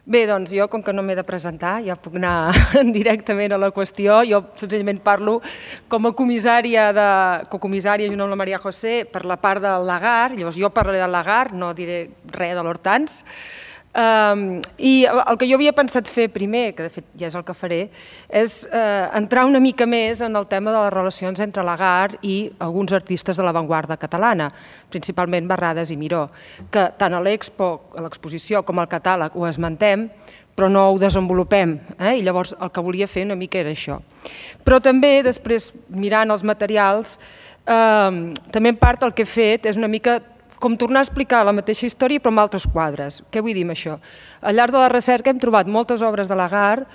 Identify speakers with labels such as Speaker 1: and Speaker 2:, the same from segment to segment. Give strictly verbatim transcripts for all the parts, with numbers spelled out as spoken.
Speaker 1: Bé, doncs jo, com que no m'he de presentar, ja puc anar directament a la qüestió. Jo senzillament parlo com a comissària, de, cocomissària junt amb la Maria José per la part del Lagar. Llavors jo parlaré del Lagar, no diré res de l'Hortans. Um, I el que jo havia pensat fer primer, que de fet ja és el que faré, és uh, entrar una mica més en el tema de les relacions entre Lagar i alguns artistes de l'avantguarda catalana, principalment Barrades i Miró, que tant a l'Expo, a l'exposició, com al catàleg ho esmentem, però no ho desenvolupem, eh? I llavors el que volia fer una mica era això. Però també, després, mirant els materials, eh, també en part el que he fet és una mica com tornar a explicar la mateixa història però amb altres quadres. Què vull dir amb això? Al llarg de la recerca hem trobat moltes obres de Lagar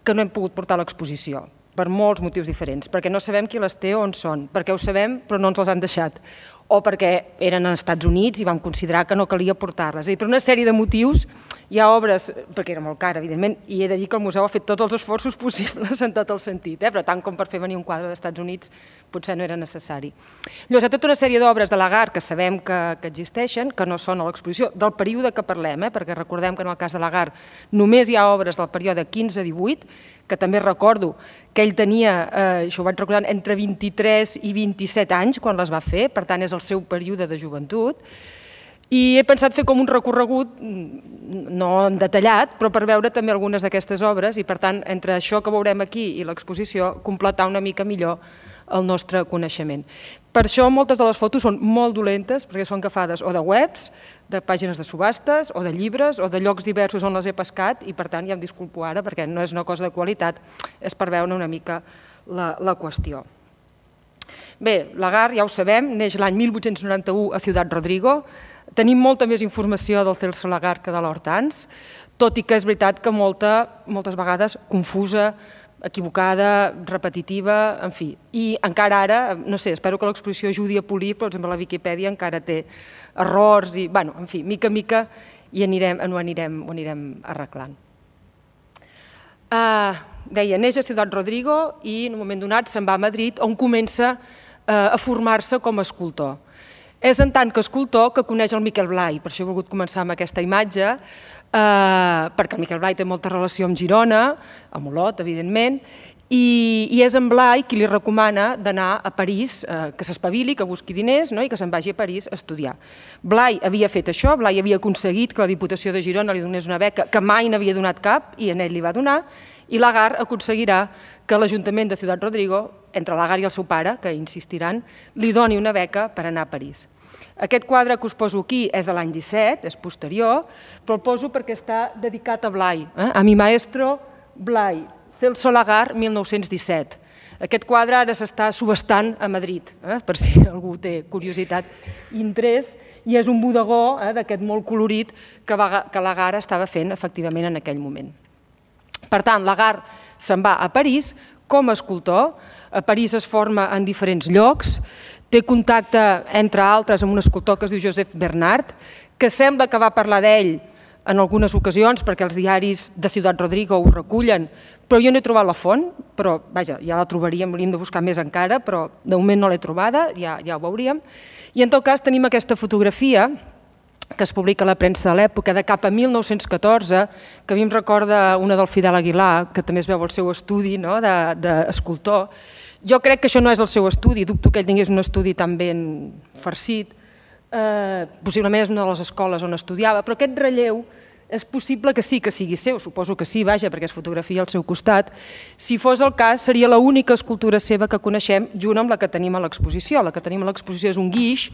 Speaker 1: que no hem pogut portar a l'exposició, per molts motius diferents, perquè no sabem qui les té o on són, perquè ho sabem però no ens les han deixat, o perquè eren als Estats Units i vam considerar que no calia portar-les. És a dir, per una sèrie de motius hi ha obres, perquè era molt cara, evidentment, i he de dir que el museu ha fet tots els esforços possibles en tot el sentit, eh? Però tant com per fer venir un quadre dels Estats Units potser no era necessari. Llavors, hi ha tota una sèrie d'obres de Lagar que sabem que, que existeixen, que no són a l'exposició, del període que parlem, eh? Perquè recordem que en el cas de Lagar només hi ha obres del període quinze a divuit, que també recordo que ell tenia, eh, això ho vaig recordant, entre vint-i-tres i vint-i-set anys quan les va fer, per tant és el seu període de joventut, i he pensat fer com un recorregut, no detallat, però per veure també algunes d'aquestes obres i per tant entre això que veurem aquí i l'exposició completar una mica millor el nostre coneixement. Per això moltes de les fotos són molt dolentes perquè són agafades o de webs, de pàgines de subhastes o de llibres o de llocs diversos on les he pescat i per tant ja em disculpo ara perquè no és una cosa de qualitat, és per veure una mica la, la qüestió. Bé, Lagar, ja ho sabem, neix l'any mil vuit-cents noranta-u a Ciudad Rodrigo. Tenim molta més informació del Celso Lagar que de l'Hortans, tot i que és veritat que molta, moltes vegades confusa, equivocada, repetitiva, en fi. I encara ara, no sé, espero que l'exposició ajudi a polir, però per exemple la Viquipèdia encara té errors i, bueno, en fi, mica a mica i anirem, ho, anirem, ho anirem arreglant. Uh, deia, neix a Ciudad Rodrigo i en un moment donat se'n va a Madrid on comença uh, a formar-se com a escultor. És en tant que escultor que coneix el Miquel Blay, per això he volgut començar amb aquesta imatge, eh, perquè el Miquel Blay té molta relació amb Girona, amb Olot, evidentment, i, i és en Blay qui li recomana d'anar a París, eh, que s'espavili, que busqui diners, no? I que se'n vagi a París a estudiar. Blay havia fet això, Blay havia aconseguit que la Diputació de Girona li donés una beca que mai n'havia donat cap i en ell li va donar, i Lagar aconseguirà que l'Ajuntament de Ciudad Rodrigo, entre Lagar i el seu pare, que insistiran, li doni una beca per anar a París. Aquest quadre que us poso aquí és de l'any disset, és posterior, però el poso perquè està dedicat a Blay, eh? A mi maestro Blay, Celso Lagar, mil nou-cents disset. Aquest quadre ara s'està subhastant a Madrid, eh? Per si algú té curiositat i interès, i és un bodegó eh, d'aquest molt colorit que, va, que Lagar estava fent efectivament en aquell moment. Per tant, Lagar se'n va a París com a escultor. A París es forma en diferents llocs, té contacte, entre altres, amb un escultor que es diu Josep Bernard, que sembla que va parlar d'ell en algunes ocasions, perquè els diaris de Ciudad Rodrigo ho recullen, però jo no he trobat la font, però vaja, ja la trobaríem, hauríem de buscar més encara, però de moment no l'he trobada, ja, ja ho veuríem. I en tot cas tenim aquesta fotografia que es publica a la premsa de l'època, de cap a mil nou-cents catorze, que a mi em recorda una del Fidel Aguilar, que també es veu el seu estudi no? d'escultor. Jo crec que això no és el seu estudi, dubto que ell tingués un estudi tan ben farcit, eh, possiblement és una de les escoles on estudiava, però aquest relleu és possible que sí que sigui seu, suposo que sí, vaja, perquè es fotografia al seu costat. Si fos el cas, seria l'única escultura seva que coneixem junt amb la que tenim a l'exposició. La que tenim a l'exposició és un guix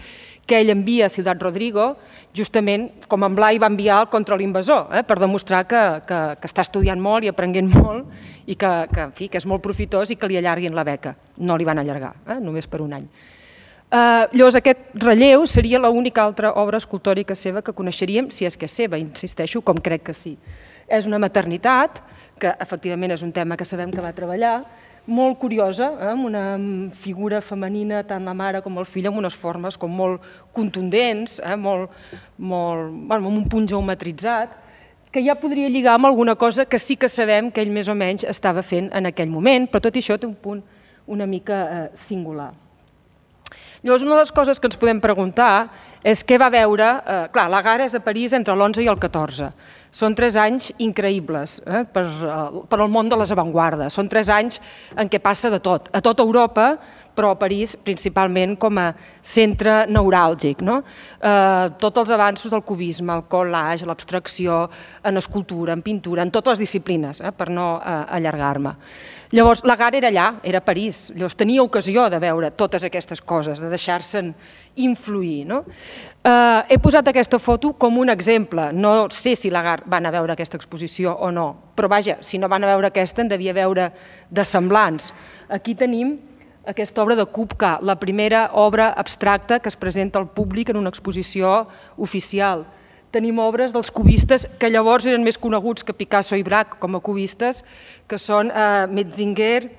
Speaker 1: que ell envia a Ciudad Rodrigo, justament com en Blay va enviar contra l'invasor, eh, per demostrar que, que, que està estudiant molt i aprenent molt i que, que, en fi, que és molt profitós i que li allarguin la beca. No li van allargar, eh, només per un any. Uh, llavors aquest relleu seria l'única altra obra escultòrica seva que coneixeríem, si és que és seva, insisteixo, com crec que sí. És una maternitat, que efectivament és un tema que sabem que va treballar, molt curiosa, eh, amb una figura femenina, tant la mare com el fill, amb unes formes com molt contundents, eh, molt, molt, bueno, amb un punt geometritzat, que ja podria lligar amb alguna cosa que sí que sabem que ell més o menys estava fent en aquell moment, però tot això té un punt una mica eh, singular. Llavors, una de les coses que ens podem preguntar és què va veure... Clar, Lagarde és a París entre l'onze i el catorze. Són tres anys increïbles per al món de les avantguardes. Són tres anys en què passa de tot. A tota Europa, però a París principalment com a centre neuràlgic. Tots els avanços del cubisme, el collage, l'abstracció, en escultura, en pintura, en totes les disciplines, per no allargar-me. Llavors, Lagarde era allà, era a París. Llavors, tenia ocasió de veure totes aquestes coses, de deixar-se'n influir. He posat aquesta foto com un exemple. No sé si Lagarde va anar a veure aquesta exposició o no, però vaja, si no van a veure aquesta, en devia veure de semblants. Aquí tenim aquesta obra de Kupka, la primera obra abstracta que es presenta al públic en una exposició oficial. Tenim obres dels cubistes que llavors eren més coneguts que Picasso i Braque com a cubistes, que són Metzinger,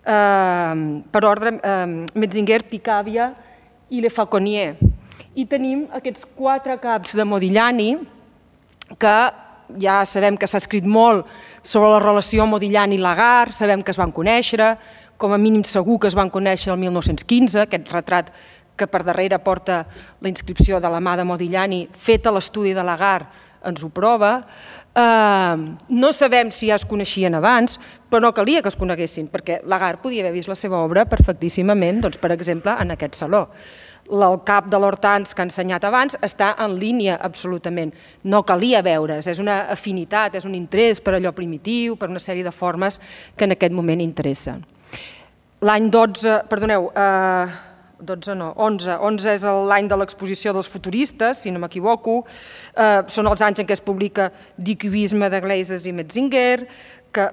Speaker 1: per ordre, Metzinger, Picabia i Le Fauconnier. I tenim aquests quatre caps de Modigliani, que ja sabem que s'ha escrit molt sobre la relació Modigliani-Lagarde, sabem que es van conèixer, com a mínim segur que es van conèixer el mil nou-cents quinze, aquest retrat que per darrere porta la inscripció de la mà de Modigliani, fet a l'estudi de Lagarde, ens ho prova. No sabem si ja es coneixien abans, però no calia que es coneguessin, perquè Lagarde podia haver vist la seva obra perfectíssimament, per exemple, en aquest saló. El cap de l'Hortense que ha ensenyat abans està en línia absolutament. No calia veure's, és una afinitat, és un interès per allò primitiu, per una sèrie de formes que en aquest moment interessen. L'any dotze, perdoneu, dotze no, onze, onze és l'any de l'exposició dels futuristes, si no m'equivoco, són els anys en què es publica Die Cubisme de Glazes i Metzinger,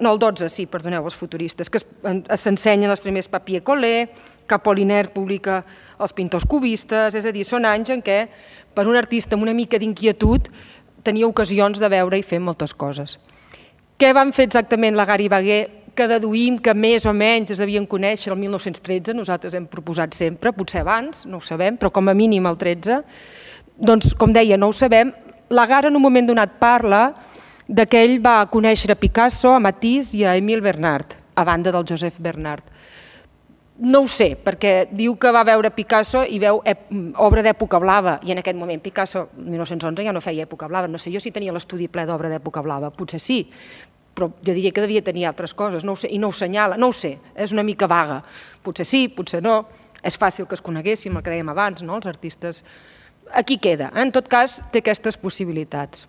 Speaker 1: no, el dotze, sí, perdoneu, els futuristes, que s'ensenyen els primers papier collé, que Apollinaire publica els pintors cubistes, és a dir, són anys en què per un artista amb una mica d'inquietud tenia ocasions de veure i fer moltes coses. Què van fer exactament Lagarde i Bagué, que deduïm que més o menys es devien conèixer el mil nou-cents tretze, nosaltres hem proposat sempre, potser abans, no ho sabem, però com a mínim el tretze, doncs, com deia, no ho sabem. Lagarde en un moment donat parla que ell va conèixer a Picasso, a Matisse i a Émile Bernard, a banda del Joseph Bernard. No ho sé, perquè diu que va veure Picasso i veu obra d'època blava, i en aquest moment Picasso, el mil nou-cents onze, ja no feia època blava. No sé jo si tenia l'estudi ple d'obra d'època blava, potser sí, però jo diria que devia tenir altres coses, i no ho senyala, no ho sé, és una mica vaga. Potser sí, potser no, és fàcil que es coneguéssim, el que dèiem abans, els artistes. Aquí queda, en tot cas té aquestes possibilitats.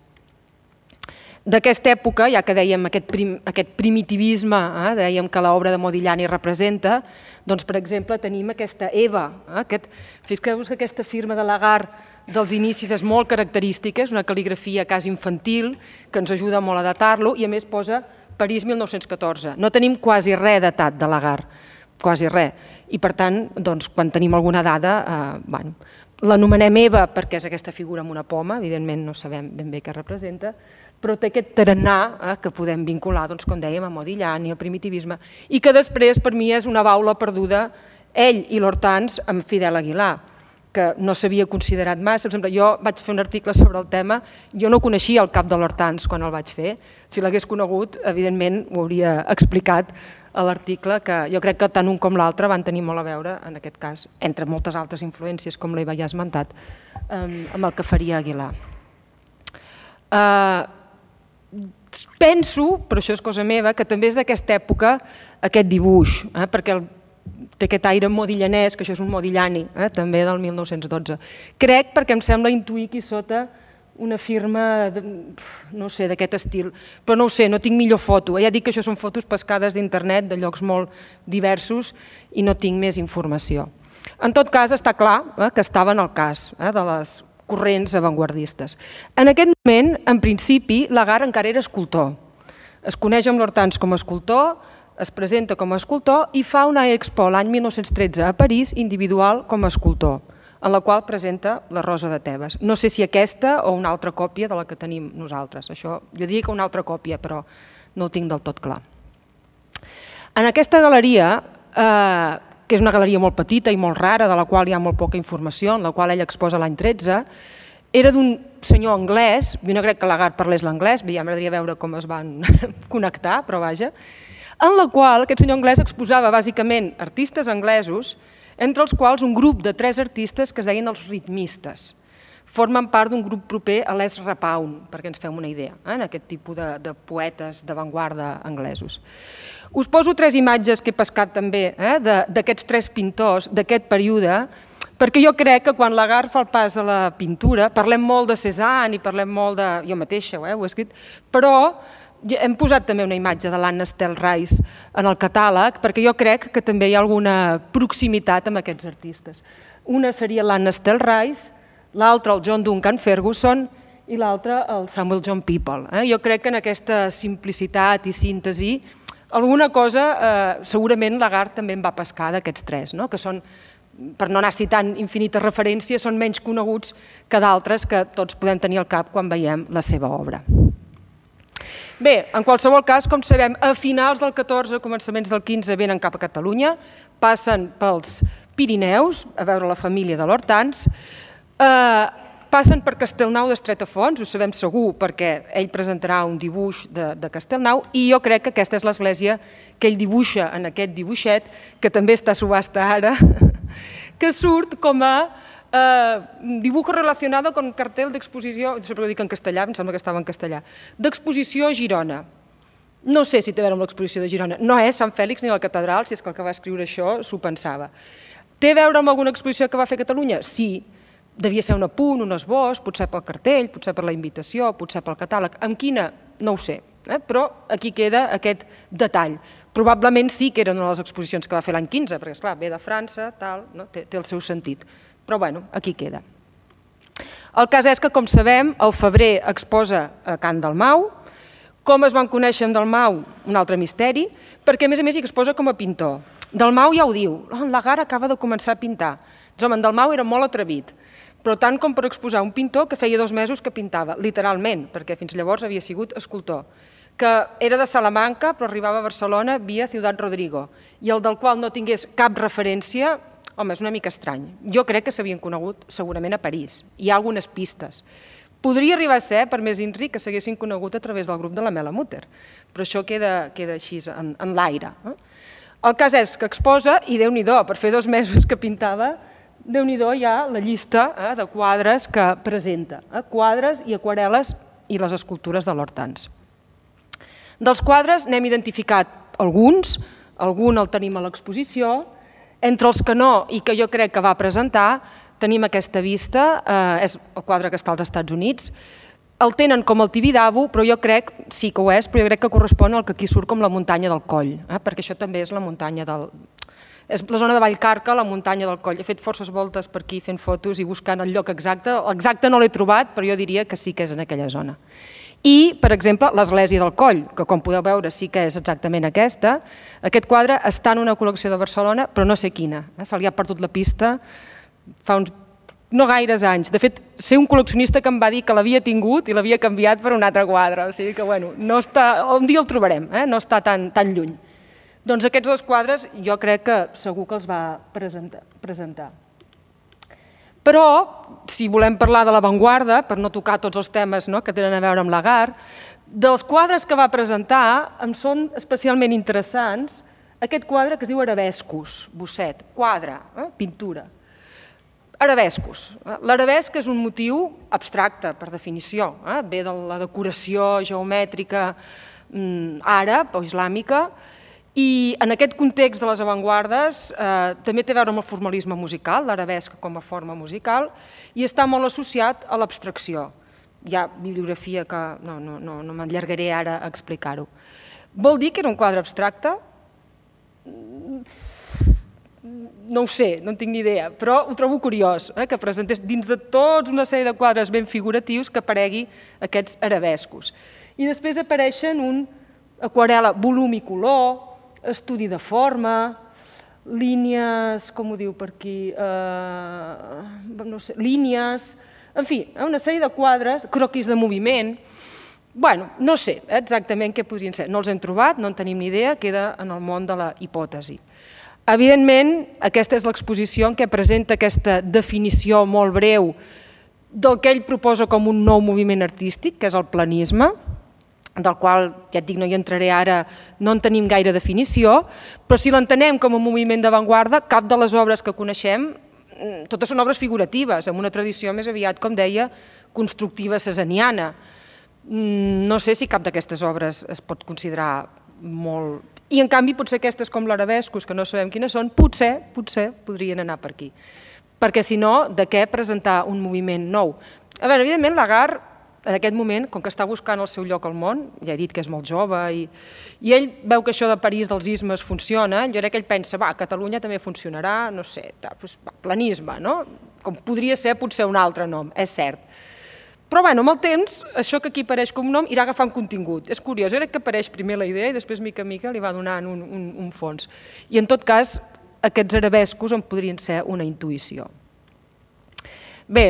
Speaker 1: D'aquesta època, ja que dèiem aquest primitivisme, dèiem que l'obra de Modigliani representa, doncs per exemple tenim aquesta Eva, fixeu-vos que aquesta firma de Lagarde dels inicis és molt característica, és una cal·ligrafia quasi infantil que ens ajuda molt a datar-lo i a més posa París mil nou-cents catorze. No tenim quasi res datat de Lagarde, quasi res. I per tant, quan tenim alguna dada, l'anomenem Eva perquè és aquesta figura amb una poma, evidentment no sabem ben bé què representa, però té aquest tarannà que podem vincular, com dèiem, a Modigliani, al primitivisme, i que després per mi és una baula perduda, ell i l'Hortense amb Fidel Aguilar, que no s'havia considerat massa. Per exemple, jo vaig fer un article sobre el tema, jo no coneixia el cap de l'Hortense quan el vaig fer, si l'hagués conegut, evidentment ho hauria explicat a l'article, que jo crec que tant un com l'altre van tenir molt a veure, en aquest cas, entre moltes altres influències, com l'Eva ja ha esmentat, amb el que faria Aguilar. Penso, però això és cosa meva, que també és d'aquesta època aquest dibuix, perquè té aquest aire modiglianès, que això és un Modigliani, també del mil nou-cents dotze. Crec perquè em sembla intuir aquí sota una firma, no sé, d'aquest estil, però no ho sé, no tinc millor foto. Ja dic que això són fotos pescades d'internet, de llocs molt diversos, i no tinc més informació. En tot cas, està clar que estava en el cas de les corrents avantguardistes. En aquest moment, en principi, Lagarde encara era escultor. Es coneix amb l'Hortense com a escultor, es presenta com a escultor i fa una expo l'any mil nou-cents tretze a París individual com a escultor, en la qual presenta la Rosa de Tebes. No sé si aquesta o una altra còpia de la que tenim nosaltres. Això, jo diria que una altra còpia, però no ho tinc del tot clar. En aquesta galeria, que és una galeria molt petita i molt rara, de la qual hi ha molt poca informació, en la qual ell exposa l'any tretze, era d'un senyor anglès, jo no crec que Lagarde parlés l'anglès, ja m'agradaria veure com es van connectar, però vaja, en la qual aquest senyor anglès exposava bàsicament artistes anglesos, entre els quals un grup de tres artistes que es deien els ritmistes. formen part d'un grup proper a l'Es Rapaun, perquè ens fem una idea, en aquest tipus de poetes d'avantguarda anglesos. Us poso tres imatges que he pescat també d'aquests tres pintors d'aquest període, perquè jo crec que quan Lagarde fa el pas a la pintura, parlem molt de Cézanne i parlem molt de... jo mateixa ho he escrit, però hem posat també una imatge de l'Anna Estelle Rice en el catàleg, perquè jo crec que també hi ha alguna proximitat amb aquests artistes. Una seria l'Anna Estelle Rice, l'altre el John Duncan Ferguson i l'altre el Samuel John People. Jo crec que en aquesta simplicitat i síntesi alguna cosa segurament Lagarde també en va pescar d'aquests tres, que són, per no anar citant infinites referències, són menys coneguts que d'altres que tots podem tenir al cap quan veiem la seva obra. Bé, en qualsevol cas, com sabem, a finals del catorze, començaments del quinze, venen cap a Catalunya, passen pels Pirineus, a veure la família de l'Hortans, passen per Castellnou d'Estretafons, ho sabem segur perquè ell presentarà un dibuix de Castellnou i jo crec que aquesta és l'església que ell dibuixa en aquest dibuixet, que també està a subhasta ara, que surt com a dibujo relacionado con cartel d'exposició, sempre ho dic en castellà, em sembla que estava en castellà, d'exposició a Girona. No sé si té a veure amb l'exposició de Girona, no és Sant Fèlix ni la catedral, si és que el que va escriure això s'ho pensava. Té a veure amb alguna exposició que va fer a Catalunya? Sí. Devia ser un apunt, un esbós, potser pel cartell, potser per la invitació, potser pel catàleg. Amb quina? No ho sé, però aquí queda aquest detall. Probablement sí que eren una de les exposicions que va fer l'any quinze, perquè, esclar, ve de França, tal, té el seu sentit. Però, bueno, aquí queda. El cas és que, com sabem, el febrer exposa a Can Dalmau. Com es van conèixer amb Dalmau? Un altre misteri, perquè, a més a més, hi exposa com a pintor. Dalmau ja ho diu, en Lagarde acaba de començar a pintar. Doncs, home, en Dalmau era molt atrevit, però tant com per exposar un pintor que feia dos mesos que pintava, literalment, perquè fins llavors havia sigut escultor, que era de Salamanca però arribava a Barcelona via Ciutat Rodrigo, i el del qual no tingués cap referència, home, és una mica estrany. Jo crec que s'havien conegut segurament a París. Hi ha algunes pistes. Podria arribar a ser, per més INRI, que s'haguessin conegut a través del grup de la Mela Mutter, però això queda així, en l'aire. El cas és que exposa, i Déu-n'hi-do, per fer dos mesos que pintava, Déu-n'hi-do hi ha la llista de quadres que presenta, quadres i aquarel·les i les escultures de l'Hortans. Dels quadres n'hem identificat alguns, algun el tenim a l'exposició, entre els que no i que jo crec que va presentar tenim aquesta vista, és el quadre que està als Estats Units, el tenen com el Tibidabo, però jo crec, sí que ho és, però jo crec que correspon al que aquí surt com la muntanya del Coll, perquè això també és la muntanya del... és la zona de Vallcarca, la muntanya del Coll. He fet forces voltes per aquí fent fotos i buscant el lloc exacte. L'exacte no l'he trobat, però jo diria que sí que és en aquella zona. I, per exemple, l'església del Coll, que com podeu veure sí que és exactament aquesta. Aquest quadre està en una col·lecció de Barcelona, però no sé quina. Se li ha perdut la pista fa uns no gaires anys. De fet, sé un col·leccionista que em va dir que l'havia tingut i l'havia canviat per un altre quadre. O sigui que, bueno, no està... un dia el trobarem, no està tan lluny. Doncs aquests dos quadres jo crec que segur que els va presentar. Però, si volem parlar de l'avantguarda, per no tocar tots els temes que tenen a veure amb Lagarde, dels quadres que va presentar em són especialment interessants aquest quadre que es diu Arabescos, bosset, quadre, pintura. Arabescos. L'arabesc és un motiu abstracte, per definició. Ve de la decoració geomètrica àrab o islàmica, i en aquest context de les avantguardes també té a veure amb el formalisme musical, l'arabesc com a forma musical, i està molt associat a l'abstracció. Hi ha bibliografia que no m'allargaré ara a explicar-ho. Vol dir que era un quadre abstracte? No ho sé, no en tinc ni idea, però ho trobo curiós, que presentés dins de tota una sèrie de quadres ben figuratius que aparegui aquests arabescos. I després apareixen un aquarel·la volum i color, estudi de forma, línies, com ho diu per aquí, no sé, línies, en fi, una sèrie de quadres, croquis de moviment. Bueno, no sé exactament què podrien ser, no els hem trobat, no en tenim ni idea, queda en el món de la hipòtesi. Evidentment, aquesta és l'exposició en què presenta aquesta definició molt breu del que ell proposa com un nou moviment artístic, que és el planisme, del qual, ja et dic, no hi entraré ara, no en tenim gaire definició, però si l'entenem com a moviment d'avantguarda, cap de les obres que coneixem totes són obres figuratives, amb una tradició més aviat, com deia, constructiva cesaniana. No sé si cap d'aquestes obres es pot considerar molt... I, en canvi, potser aquestes com l'Arabescos, que no sabem quines són, potser, potser podrien anar per aquí. Perquè, si no, de què presentar un moviment nou? A veure, evidentment, Lagarde, en aquest moment, com que està buscant el seu lloc al món, ja he dit que és molt jove, i, i ell veu que això de París dels ismes funciona, jo crec que ell pensa, va, a Catalunya també funcionarà, no sé, doncs, va, planisme, no? Com podria ser potser un altre nom, és cert. Però, bueno, amb el temps, això que aquí apareix com un nom irà agafant contingut. És curiós, jo crec que apareix primer la idea i després, mica en mica, li va donant un, un, un fons. I, en tot cas, aquests arabescos en podrien ser una intuïció. Bé,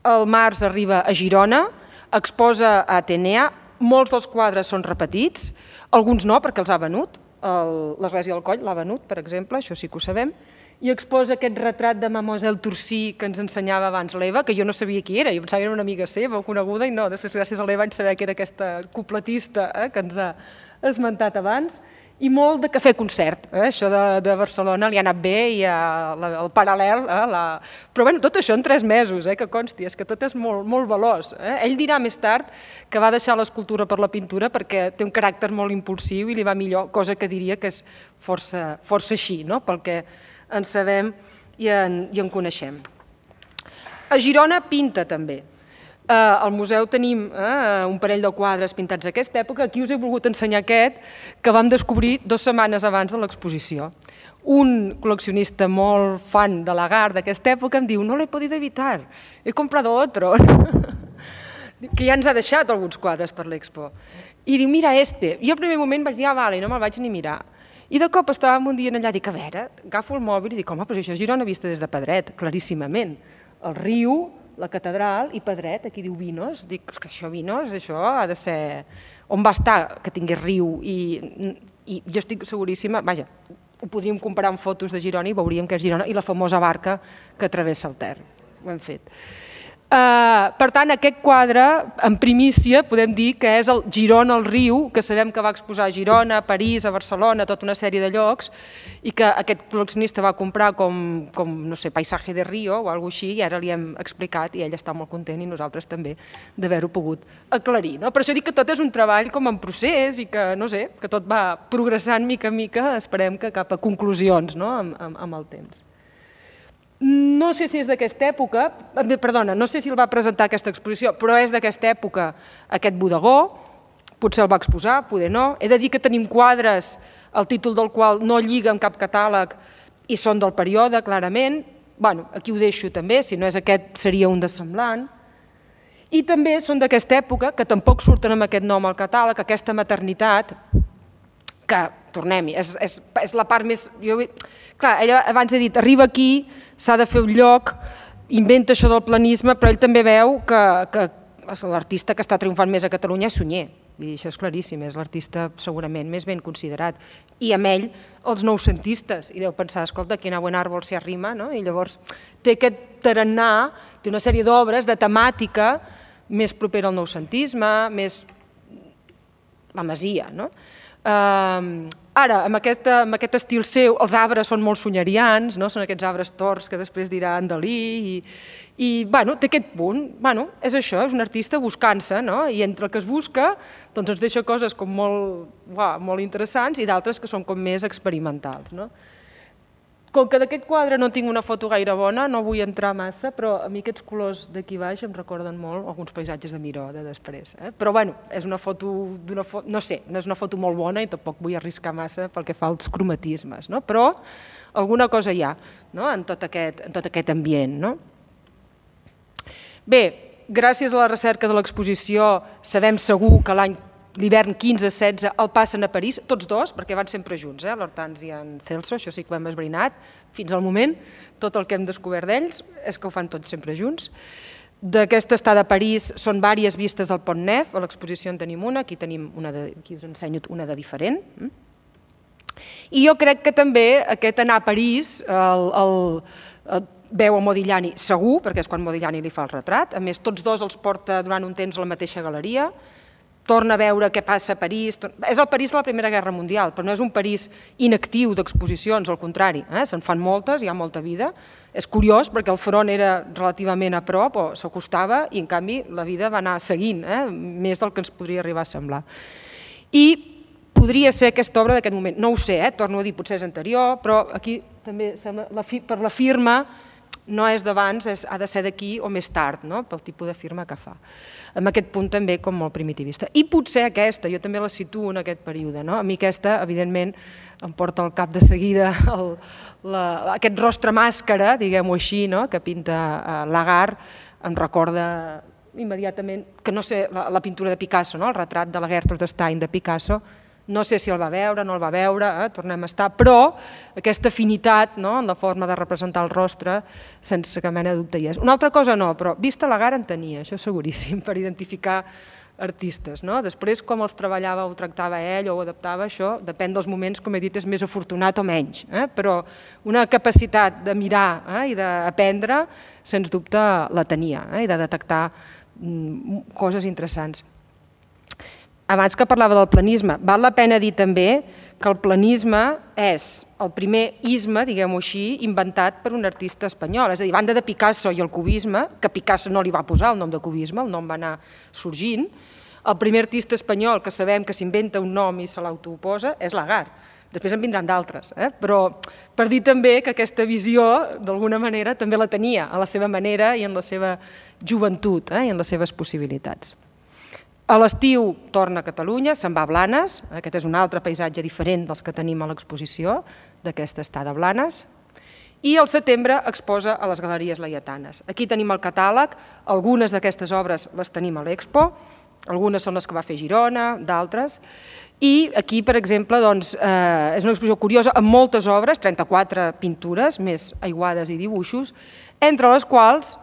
Speaker 1: el març arriba a Girona, exposa a Atenea, molts dels quadres són repetits, alguns no, perquè els ha venut, l'Església del Coll l'ha venut, per exemple, això sí que ho sabem, i exposa aquest retrat de Mademoiselle Torcy que ens ensenyava abans l'Eva, que jo no sabia qui era, jo pensava que era una amiga seva, coneguda, i no, després gràcies a l'Eva vaig saber que era aquesta cupletista eh, que ens ha esmentat abans, i molt de cafè concert, eh? Això de, de Barcelona li ha anat bé i ha, la, el paral·lel, eh? la... però bueno, tot això en tres mesos, eh? Que consti, és que tot és molt, molt veloç. Eh? Ell dirà més tard que va deixar l'escultura per la pintura perquè té un caràcter molt impulsiu i li va millor, cosa que diria que és força, força així, no? Pel que en sabem i en, i en coneixem. A Girona pinta també. Al museu tenim un parell de quadres pintats d'aquesta època. Aquí us he volgut ensenyar aquest que vam descobrir dues setmanes abans de l'exposició. Un col·leccionista molt fan de Lagarde d'aquesta època em diu no l'he podido evitar, he comprado otro, que ja ens ha deixat alguns quadres per l'expo. I diu, mira este. I al primer moment vaig dir, ah, vale, no me'l vaig ni mirar. I de cop estàvem un dia allà i dic, a veure, agafo el mòbil i dic, home, però això és Girona vista des de Pedret, claríssimament. El riu, la catedral i Pedret, aquí diu Vinos, dic que això Vinos, això ha de ser... On va estar que tingués riu i, i jo estic seguríssima, vaja, ho podríem comparar amb fotos de Girona i veuríem que és Girona i la famosa barca que travessa el Ter, ho hem fet. Uh, per tant, aquest quadre, en primícia, podem dir que és el Girona al riu, que sabem que va exposar a Girona, a París, a Barcelona, tota una sèrie de llocs, i que aquest col·leccionista va comprar com, com no sé, Paisaje de Río o alguna cosa així, i ara li hem explicat, i ell està molt content, i nosaltres també, d'haver-ho pogut aclarir. No? Per això dic que tot és un treball com en procés, i que, no sé, que tot va progressant mica en mica, esperem que cap a conclusions, no? amb, amb, amb el temps. No sé si és d'aquesta època, perdona, no sé si el va presentar aquesta exposició, però és d'aquesta època aquest bodegó, potser el va exposar, poder no. He de dir que tenim quadres, el títol del qual no lliga amb cap catàleg i són del període, clarament. Bé, aquí ho deixo també, si no és aquest seria un de semblant. I també són d'aquesta època, que tampoc surten amb aquest nom al catàleg, aquesta maternitat, que, tornem-hi, és, és, és la part més... Jo, clar, ella abans ha dit, arriba aquí, s'ha de fer un lloc, inventa això del planisme, però ell també veu que, que l'artista que està triomfant més a Catalunya és Sunyer. I això és claríssim, és l'artista segurament més ben considerat. I amb ell, els noucentistes, i deu pensar, escolta, quina buen árbol se arrima, no? I llavors té aquest tarannà, té una sèrie d'obres de temàtica més propera al noucentisme, més la Masia, no? Uh, ara, amb aquest, amb aquest estil seu, els arbres són molt sunyerians, no? Són aquests arbres torts que després dirà en Dalí, i, i bueno, té aquest punt, bueno, és això, és un artista buscant-se, no? I entre el que es busca doncs ens deixa coses com molt, uah, molt interessants i d'altres que són com més experimentals. No? Com que d'aquest quadre no tinc una foto gaire bona, no vull entrar massa, però a mi aquests colors d'aquí baix em recorden molt alguns paisatges de Miró de després. Eh? Però bueno, és una foto, fo no sé, no és una foto molt bona i tampoc vull arriscar massa pel que fa als cromatismes, no? Però alguna cosa hi ha, no? en, tot aquest, en tot aquest ambient. No? Bé, gràcies a la recerca de l'exposició sabem segur que l'any l'hivern quinze setze el passen a París, tots dos, perquè van sempre junts, eh? l'Hortans i en Celso, això sí que ho hem esbrinat, fins al moment, tot el que hem descobert d'ells és que ho fan tots sempre junts. D'aquesta estada a París són diverses vistes del Pont Neuf, a l'exposició en tenim una, aquí tenim una de, aquí us ensenyo una de diferent. I jo crec que també aquest anar a París, el, el, el veu a Modigliani segur, perquè és quan Modigliani li fa el retrat, a més tots dos els porta durant un temps a la mateixa galeria, torna a veure què passa a París. És el París de la Primera Guerra Mundial, però no és un París inactiu d'exposicions, al contrari, se'n fan moltes, hi ha molta vida. És curiós perquè el front era relativament a prop o s'acostava i en canvi la vida va anar seguint, més del que ens podria arribar a semblar. I podria ser aquesta obra d'aquest moment, no ho sé, torno a dir, potser és anterior, però aquí també per la firma no és d'abans, ha de ser d'aquí o més tard, pel tipus de firma que fa. En aquest punt també com molt primitivista. I potser aquesta, jo també la situo en aquest període. A mi aquesta, evidentment, em porta al cap de seguida aquest rostre màscara, diguem-ho així, que pinta Lagarde, em recorda immediatament, que no sé, la pintura de Picasso, el retrat de la Gertrude Stein de Picasso, no sé si el va veure, no el va veure, tornem a estar, però aquesta afinitat en la forma de representar el rostre, sense cap mena de dubte hi és. Una altra cosa no, però vista Lagarde en tenia, això seguríssim, per identificar artistes. Després, com els treballava o tractava ell o ho adaptava, això depèn dels moments, com he dit, és més afortunat o menys, però una capacitat de mirar i d'aprendre, sens dubte, la tenia, i de detectar coses interessants. Abans que parlava del planisme, val la pena dir també que el planisme és el primer isme, diguem-ho així, inventat per un artista espanyol. És a dir, a banda de Picasso i el cubisme, que Picasso no li va posar el nom de cubisme, el nom va anar sorgint, el primer artista espanyol que sabem que s'inventa un nom i se l'autoposa és Lagarde. Després en vindran d'altres, però per dir també que aquesta visió, d'alguna manera, també la tenia a la seva manera i en la seva joventut i en les seves possibilitats. A l'estiu torna a Catalunya, se'n va a Blanes, aquest és un altre paisatge diferent dels que tenim a l'exposició d'aquesta estada a Blanes, i al setembre exposa a les Galeries Laietanes. Aquí tenim el catàleg, algunes d'aquestes obres les tenim a l'Expo, algunes són les que va fer Girona, d'altres, i aquí, per exemple, és una exposició curiosa amb moltes obres, trenta-quatre pintures, més aiguades i dibuixos, entre les quals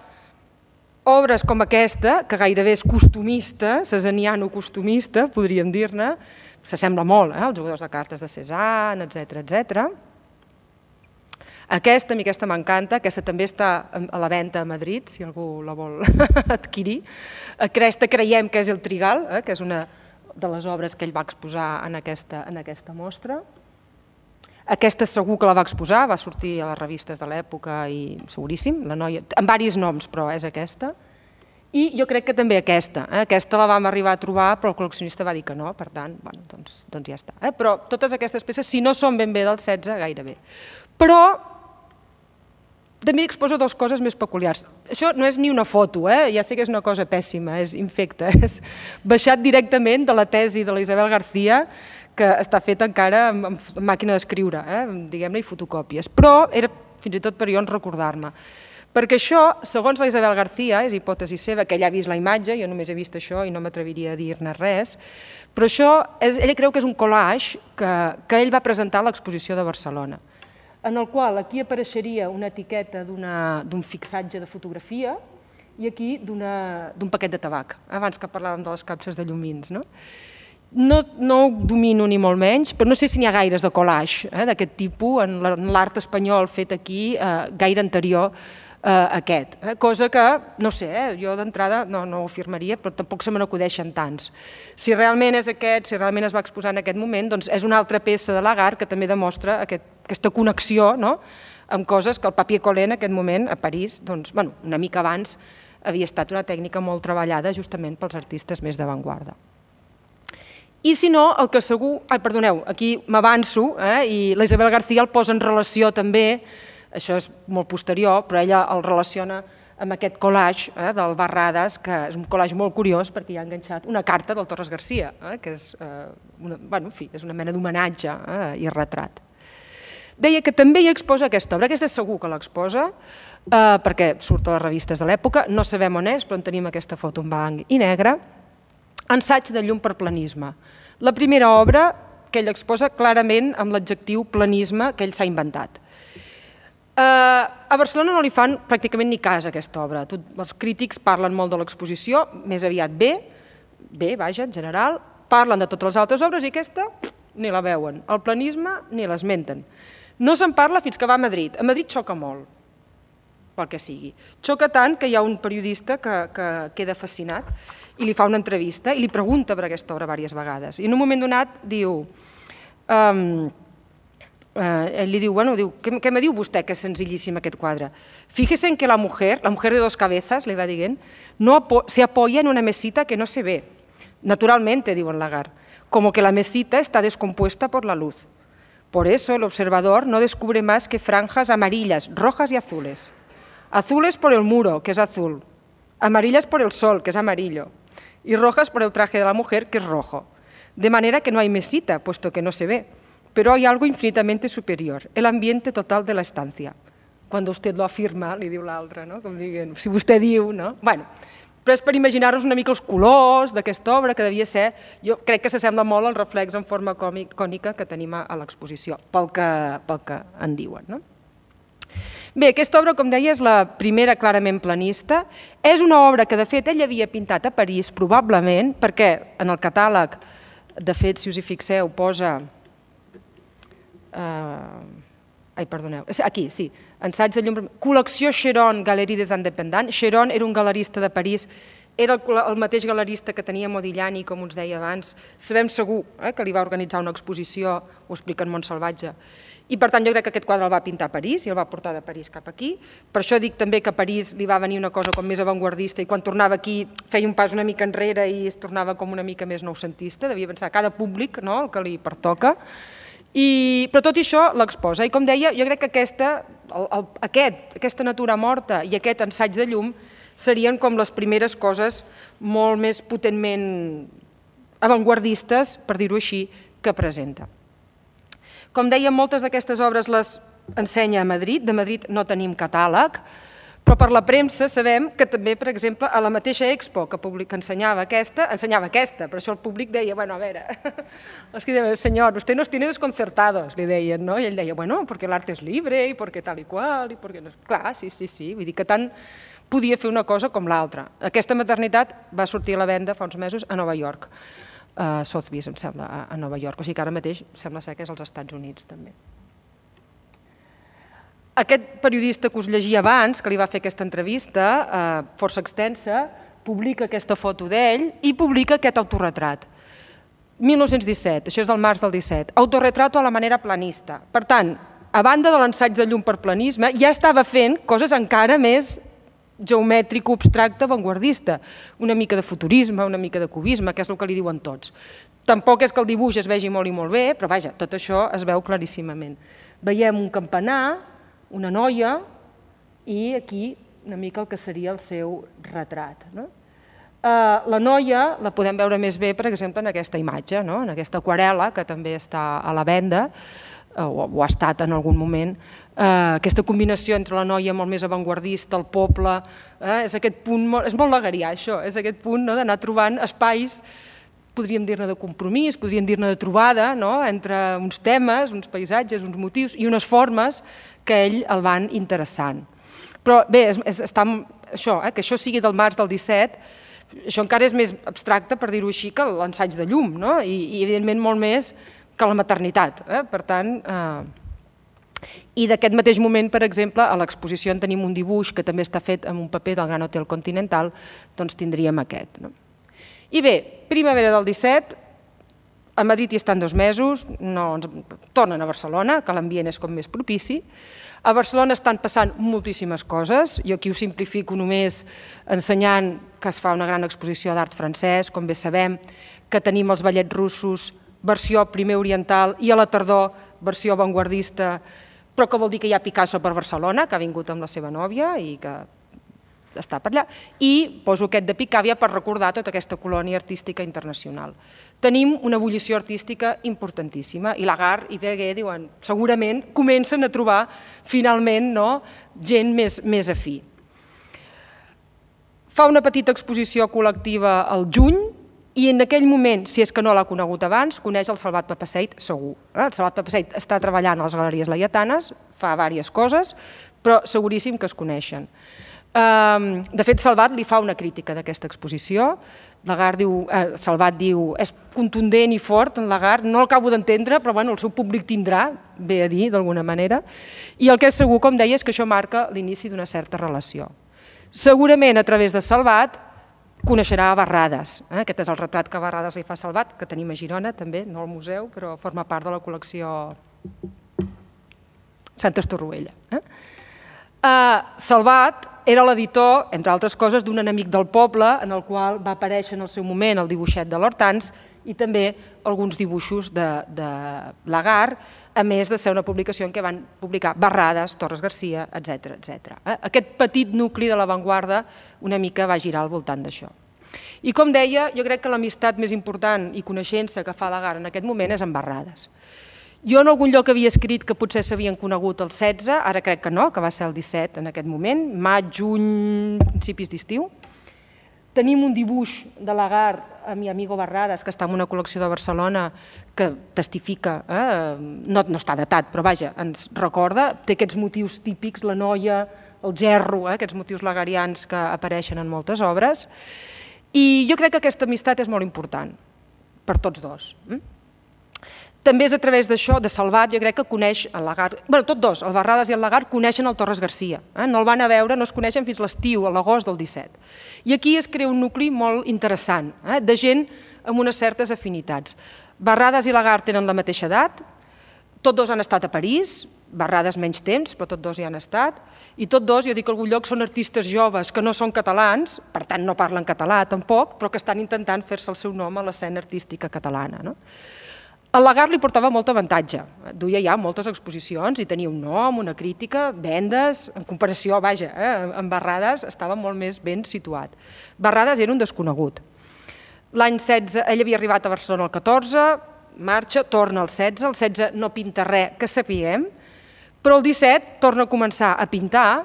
Speaker 1: obres com aquesta, que gairebé és costumista, cesaniano-costumista, podríem dir-ne, s'assembla molt als jugadors de cartes de Cézanne, etcètera, etcètera. Aquesta, a mi aquesta m'encanta, aquesta també està a la venda a Madrid, si algú la vol adquirir. Aquesta creiem que és el Trigal, que és una de les obres que ell va exposar en aquesta mostra. Aquesta segur que la va exposar, va sortir a les revistes de l'època i seguríssim, la noia, amb diversos noms, però és aquesta. I jo crec que també aquesta, aquesta la vam arribar a trobar, però el col·leccionista va dir que no, per tant, doncs ja està. Però totes aquestes peces, si no són ben bé del setze, gairebé. Però també exposa dues coses més peculiars. Això no és ni una foto, ja sé que és una cosa pèssima, és infecta, és baixat directament de la tesi de la Isabel García, que està feta encara amb màquina d'escriure, diguem-ne, i fotocòpies. Però era fins i tot per jo en recordar-me. Perquè això, segons la Isabel García, és hipòtesi seva, que ella ha vist la imatge, jo només he vist això i no m'atreviria a dir-ne res, però això, ella creu que és un collage que ell va presentar a l'exposició de Barcelona, en el qual aquí apareixeria una etiqueta d'un fixatge de fotografia i aquí d'un paquet de tabac, abans que parlàvem de les capses de llumins, no? No ho domino ni molt menys, però no sé si n'hi ha gaires de collage d'aquest tipus en l'art espanyol fet aquí, gaire anterior a aquest. Cosa que, no sé, jo d'entrada no ho afirmaria, però tampoc se me n'acudeixen tants. Si realment és aquest, si realment es va exposar en aquest moment, doncs és una altra peça de Lagarde que també demostra aquesta connexió amb coses que el papier collé en aquest moment a París, una mica abans, havia estat una tècnica molt treballada justament pels artistes més d'avantguarda. I si no, el que segur... Ai, perdoneu, aquí m'avanço, i la Isabel García el posa en relació també, això és molt posterior, però ella el relaciona amb aquest collage del Barradas, que és un collage molt curiós perquè hi ha enganxat una carta del Torres Garcia, que és una mena d'homenatge i retrat. Deia que també hi exposa aquesta obra, aquesta segur que l'exposa, perquè surt a les revistes de l'època, no sabem on és, però en tenim aquesta foto en blanc i negre, Ensaig de llum per planisme. La primera obra que ell exposa clarament amb l'adjectiu planisme que ell s'ha inventat. A Barcelona no li fan pràcticament ni cas a aquesta obra. Els crítics parlen molt de l'exposició, més aviat bé, bé, vaja, en general, parlen de totes les altres obres i aquesta ni la veuen. El planisme ni l'esmenten. No se'n parla fins que va a Madrid. A Madrid xoca molt, pel que sigui. Xoca tant que hi ha un periodista que queda fascinat i li fa una entrevista i li pregunta per aquesta obra diverses vegades. I en un moment donat diu, um, uh, ell li diu, bueno, diu, què, què me diu vostè que és senzillíssim aquest quadre? Fíjese en que la mujer, la mujer de dos cabezas, li va dient, no apo se apoya en una mesita que no se ve. Naturalmente, diu en Lagarde, como que la mesita está descompuesta por la luz. Por eso el observador no descubre más que franjas amarillas, rojas y azules. Azules por el muro, que es azul. Amarillas por el sol, que es amarillo. Y rojas por el traje de la mujer, que es rojo. De manera que no hay mesita, puesto que no se ve. Pero hay algo infinitamente superior, el ambiente total de la estancia. Cuando usted lo afirma, li diu l'altre, no? Com diguent, si vostè diu, no? Bueno, però és per imaginar-nos una mica els colors d'aquesta obra, que devia ser, jo crec que s'assembla molt al reflex en forma cònica que tenim a l'exposició, pel que, pel que en diuen, no? Bé, aquesta obra, com deia, és la primera clarament planista. És una obra que, de fet, ell havia pintat a París, probablement, perquè en el catàleg, de fet, si us hi fixeu, posa... Uh... Ai, perdoneu, aquí, sí, ensaig de llum... Col·lecció Chéron, Galerie des Indépendants. Chéron era un galerista de París, era el, el mateix galerista que tenia Modigliani, com us deia abans. Sabem segur eh, que li va organitzar una exposició, ho explica en Montsalvatge. I per tant jo crec que aquest quadre el va pintar a París i el va portar de París cap aquí. Per això dic també que a París li va venir una cosa com més avantguardista i quan tornava aquí feia un pas una mica enrere i es tornava com una mica més noucentista. Devia pensar cada públic, no?, el que li pertoca. I, però tot això l'exposa. I com deia, jo crec que aquesta, el, el, aquest, aquesta natura morta i aquest ensaig de llum serien com les primeres coses molt més potentment avantguardistes, per dir-ho així, que presenta. Com deia, moltes d'aquestes obres les ensenya a Madrid. De Madrid no tenim catàleg, però per la premsa sabem que també, per exemple, a la mateixa Expo que, public, que ensenyava aquesta, ensenyava aquesta, però això el públic deia, bueno, a veure, els que deien, senyor, usted nos tiene desconcertados, li deien, no? I ell deia, bueno, porque el arte es libre, i porque tal i qual, i porque no... Clar, sí, sí, sí, vull dir que tant podia fer una cosa com l'altra. Aquesta maternitat va sortir a la venda fa uns mesos a Nova York, a Sotheby's, em sembla, a Nova York, o sigui que ara mateix sembla ser que és als Estats Units també. Aquest periodista que us llegia abans, que li va fer aquesta entrevista, força extensa, publica aquesta foto d'ell i publica aquest autorretrat. mil nou-cents disset, això és del març del disset, autorretrato a la manera planista. Per tant, a banda de l'ensaig de llum per planisme, ja estava fent coses encara més geomètric, abstracte, avantguardista. Una mica de futurisme, una mica de cubisme, que és el que li diuen tots. Tampoc és que el dibuix es vegi molt i molt bé, però vaja, tot això es veu claríssimament. Veiem un campanar, una noia i aquí una mica el que seria el seu retrat. La noia la podem veure més bé, per exemple, en aquesta imatge, en aquesta aquarel·la que també està a la venda, o ha estat en algun moment, aquesta combinació entre la noia molt més avantguardista, el poble, és aquest punt, és molt lagarià això, és aquest punt d'anar trobant espais, podríem dir-ne de compromís, podríem dir-ne de trobada, entre uns temes, uns paisatges, uns motius i unes formes que ell el van interessant. Però bé, que això sigui del març del disset, això encara és més abstracte, per dir-ho així, que l'ensaig de llum, i evidentment molt més que la maternitat. Per tant, i d'aquest mateix moment, per exemple, a l'exposició en tenim un dibuix que també està fet amb un paper del Gran Hotel Continental, doncs tindríem aquest. I bé, primavera del disset, a Madrid hi estan dos mesos, tornen a Barcelona, que l'ambient és com més propici. A Barcelona estan passant moltíssimes coses, jo aquí ho simplifico només ensenyant que es fa una gran exposició d'art francès, com bé sabem, que tenim els ballets russos, versió primer oriental, i a la tardor versió avantguardista, però que vol dir que hi ha Picasso per Barcelona, que ha vingut amb la seva nòvia i que està per allà, i poso aquest de Picàvia per recordar tota aquesta colònia artística internacional. Tenim una ebullició artística importantíssima, i Lagarde i Verguer diuen, segurament comencen a trobar finalment gent més afí. Fa una petita exposició col·lectiva al juny, i en aquell moment, si és que no l'ha conegut abans, coneix el Salvat Papasseit segur. El Salvat Papasseit està treballant a les Galeries Laietanes, fa diverses coses, però seguríssim que es coneixen. De fet, Salvat li fa una crítica d'aquesta exposició. Salvat diu, és contundent i fort en Lagarde, no l'acabo d'entendre, però el seu públic tindrà, bé a dir, d'alguna manera. I el que és segur, com deia, és que això marca l'inici d'una certa relació. Segurament, a través de Salvat, coneixerà Barrades. Aquest és el retrat que Barrades li fa Salvat, que tenim a Girona també, no al museu, però forma part de la col·lecció Santa Estorroella. Salvat era l'editor, entre altres coses, d'un enemic del poble, en el qual va aparèixer en el seu moment el dibuixet de l'Hortans i també alguns dibuixos de Lagar, a més de ser una publicació en què van publicar Barrades, Torres Garcia, etcètera, etcètera. Aquest petit nucli de l'avantguarda una mica va girar al voltant d'això. I com deia, jo crec que l'amistat més important i coneixença que fa Lagar en aquest moment és amb Barrades. Jo en algun lloc havia escrit que potser s'havien conegut el setze, ara crec que no, que va ser el disset en aquest moment, maig, juny, principis d'estiu. Tenim un dibuix de Lagar a mi amigo Barrades, que està en una col·lecció de Barcelona, que testifica, no està datat, però vaja, ens recorda, té aquests motius típics, la noia, el gerro, aquests motius lagarians que apareixen en moltes obres. I jo crec que aquesta amistat és molt important per tots dos. També és a través d'això, de Salvat, jo crec que coneix el Lagar, bé, tots dos, el Barrades i el Lagar, coneixen el Torres Garcia. No el van a veure, no es coneixen fins l'estiu, a l'agost del disset. I aquí es crea un nucli molt interessant, de gent amb unes certes afinitats. Barrades i Lagar tenen la mateixa edat, tots dos han estat a París, Barrades menys temps, però tots dos hi han estat, i tots dos, jo dic a algun lloc, són artistes joves que no són catalans, per tant no parlen català tampoc, però que estan intentant fer-se el seu nom a l'escena artística catalana. El Lagar li portava molt avantatge, duia ja moltes exposicions i tenia un nom, una crítica, vendes, en comparació, vaja, amb Barrades estava molt més ben situat. Barrades era un desconegut. L'any setze, ell havia arribat a Barcelona el catorze, marxa, torna al setze, el setze no pinta res que sapiguem, però el disset torna a començar a pintar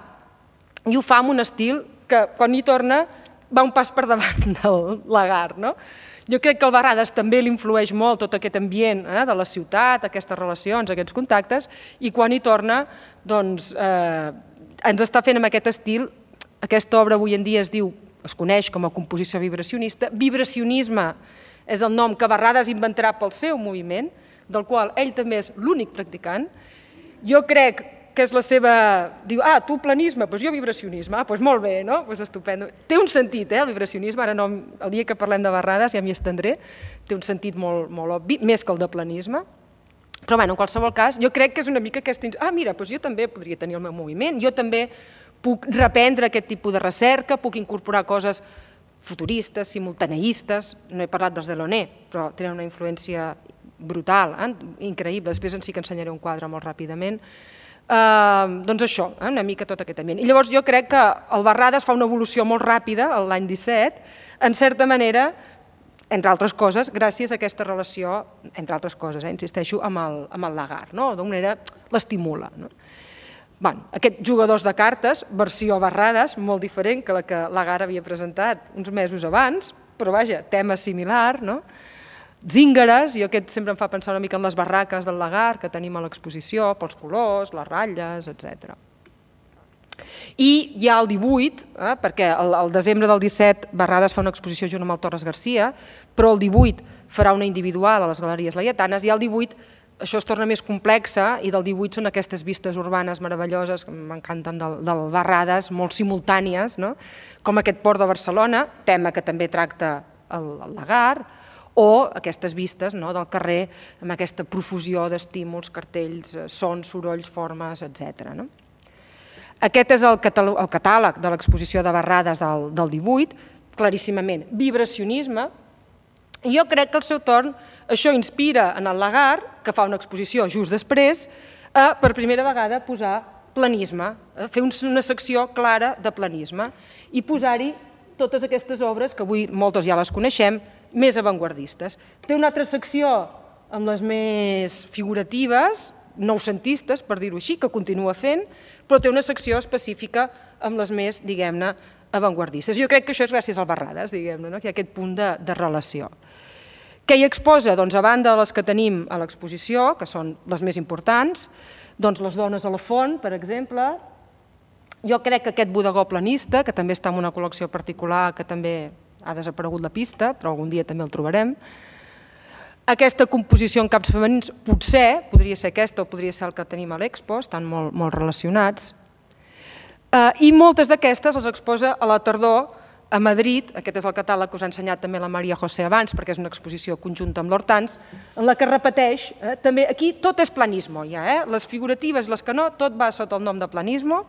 Speaker 1: i ho fa amb un estil que quan hi torna va un pas per davant del Lagar, no? Jo crec que el Barrades també l'influeix molt tot aquest ambient de la ciutat, aquestes relacions, aquests contactes, i quan hi torna doncs ens està fent amb aquest estil, aquesta obra avui en dia es diu, es coneix com a composició vibracionista, vibracionisme és el nom que Barrades inventarà pel seu moviment, del qual ell també és l'únic practicant. Jo crec que és la seva... Diu, ah, tu planisme, doncs jo vibracionisme. Ah, doncs molt bé, no? Doncs estupendo. Té un sentit, eh, el vibracionisme, ara no, el dia que parlem de Barrades ja m'hi estendré, té un sentit molt obvi, més que el de planisme. Però, bé, en qualsevol cas, jo crec que és una mica aquesta... Ah, mira, doncs jo també podria tenir el meu moviment, jo també puc reprendre aquest tipus de recerca, puc incorporar coses futuristes, simultaneistes, no he parlat dels Delaunay, però tenen una influència brutal, increïble, després en sí que ensenyaré un quadre molt ràpidament. Doncs això, una mica tot aquest ambient. I llavors jo crec que el Barrades fa una evolució molt ràpida l'any disset, en certa manera, entre altres coses, gràcies a aquesta relació, entre altres coses, insisteixo, amb el Lagar, d'una manera l'estimula. Aquests jugadors de cartes, versió Barrades, molt diferent que la que Lagar havia presentat uns mesos abans, però vaja, tema similar, no? Zíngares, i aquest sempre em fa pensar una mica en les barraques del Lagar que tenim a l'exposició, pels colors, les ratlles, etcètera. I hi ha el divuit, perquè el desembre del disset Barrades fa una exposició junt amb el Torres Garcia, però el divuit farà una individual a les Galeries Laietanes, i el divuit això es torna més complexa, i del divuit són aquestes vistes urbanes meravelloses que m'encanten del Barrades, molt simultànies, com aquest port de Barcelona, tema que també tracta el Lagar, o aquestes vistes del carrer amb aquesta profusió d'estímuls, cartells, sons, sorolls, formes, etcètera. Aquest és el catàleg de l'exposició de Barrades del divuit, claríssimament vibracionisme, i jo crec que al seu torn això inspira en el Lagar, que fa una exposició just després, a per primera vegada posar planisme, fer una secció clara de planisme i posar-hi totes aquestes obres, que avui moltes ja les coneixem, més avantguardistes. Té una altra secció amb les més figuratives, noucentistes, per dir-ho així, que continua fent, però té una secció específica amb les més, diguem-ne, avantguardistes. Jo crec que això és gràcies al Barrades, diguem-ne, que hi ha aquest punt de relació. Què hi exposa? Doncs a banda de les que tenim a l'exposició, que són les més importants, doncs les dones a la font, per exemple. Jo crec que aquest bodegó planista, que també està en una col·lecció particular, que també ha desaparegut la pista, però algun dia també el trobarem. Aquesta composició en caps femenins, potser, podria ser aquesta o podria ser el que tenim a l'Expo, estan molt relacionats. I moltes d'aquestes les exposa a la tardor A Madrid, aquest és el catàleg que us ha ensenyat també la Maria José abans, perquè és una exposició conjunta amb l'Hortans, en la que repeteix, també aquí tot és planismo, ja, les figuratives, les que no, tot va sota el nom de planismo.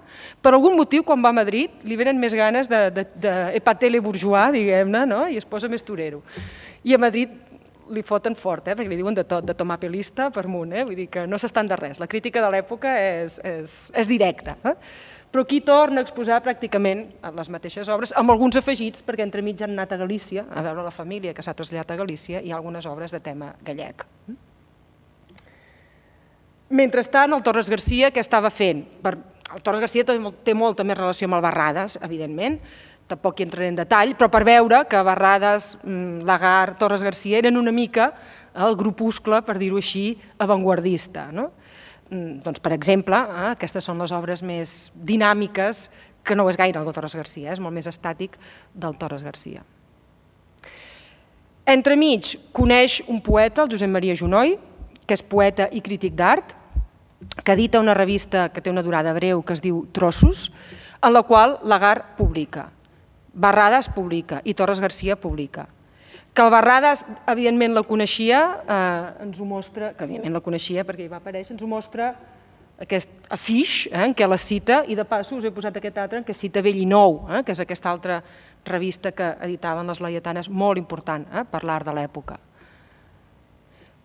Speaker 1: Per algun motiu, quan va a Madrid, li venen més ganes d'Epatele bourgeois, diguem-ne, i es posa més torero. I a Madrid li foten fort, perquè li diuen de tot, de tomapelista per amunt, vull dir que no s'estan de res. La crítica de l'època és directa. Però aquí torna a exposar pràcticament les mateixes obres, amb alguns afegits, perquè entremig han anat a Galícia, a veure la família que s'ha traslladat a Galícia, i algunes obres de tema gallec. Mentrestant, el Torres Garcia, què estava fent? El Torres Garcia té molta més relació amb el Barradas, evidentment, tampoc hi entraré en detall, però per veure que Barradas, Lagarde, Torres Garcia eren una mica el grupuscle, per dir-ho així, avantguardista, no? Doncs, per exemple, aquestes són les obres més dinàmiques, que no és gaire el Torres Garcia, és molt més estàtic del Torres Garcia. Entremig, coneix un poeta, el Josep Maria Junoy, que és poeta i crític d'art, que edita una revista que té una durada breu que es diu Trossos, en la qual Lagarde publica, Barradas publica i Torres Garcia publica. Que el Barradas, evidentment, la coneixia, ens ho mostra, que evidentment la coneixia perquè hi va aparèixer, ens ho mostra aquest afix en què la cita, i de passo us he posat aquest altre en què cita Vell i Nou, que és aquesta altra revista que editaven les laietanes, molt important per l'art de l'època.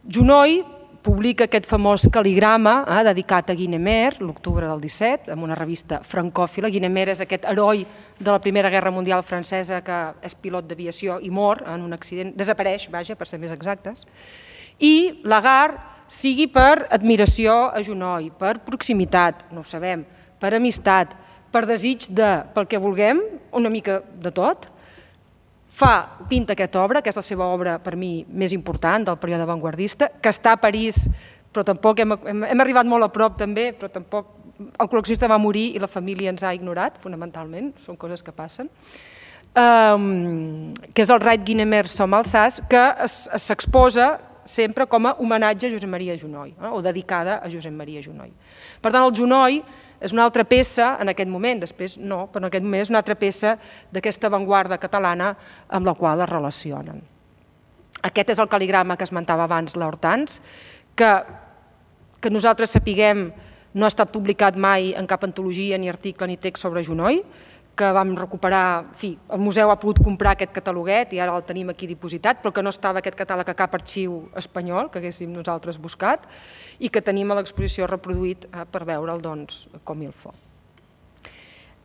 Speaker 1: Junoy publica aquest famós cal·ligrama dedicat a Guinemer, l'octubre del disset, en una revista francòfila. Guinemer és aquest heroi de la Primera Guerra Mundial francesa que és pilot d'aviació i mor en un accident, desapareix, vaja, per ser més exactes. I Lagarde, sigui per admiració a Junoy, per proximitat, no ho sabem, per amistat, per desig de, pel que vulguem, una mica de tot, fa, pinta aquesta obra, que és la seva obra per mi més important del període avantguardista, que està a París, però tampoc hem, hem arribat molt a prop també, però tampoc el col·leccionista va morir i la família ens ha ignorat, fonamentalment, són coses que passen, um, que és el Rait Guinemer Som Alsace, que s'exposa sempre com a homenatge a Josep Maria Junoy, eh, o dedicada a Josep Maria Junoy. Per tant, el Junoy és una altra peça, en aquest moment, després no, però en aquest moment és una altra peça d'aquesta avantguarda catalana amb la qual es relacionen. Aquest és el cal·ligrama que esmentava abans l'Hortans, que, que nosaltres sapiguem no ha estat publicat mai en cap antologia, ni article, ni text sobre Junoy, que vam recuperar, en fi, el museu ha pogut comprar aquest cataloguet i ara el tenim aquí dipositat, però que no estava aquest catàleg a cap arxiu espanyol, que haguéssim nosaltres buscat, i que tenim a l'exposició reproduït per veure'l, doncs, com il faut.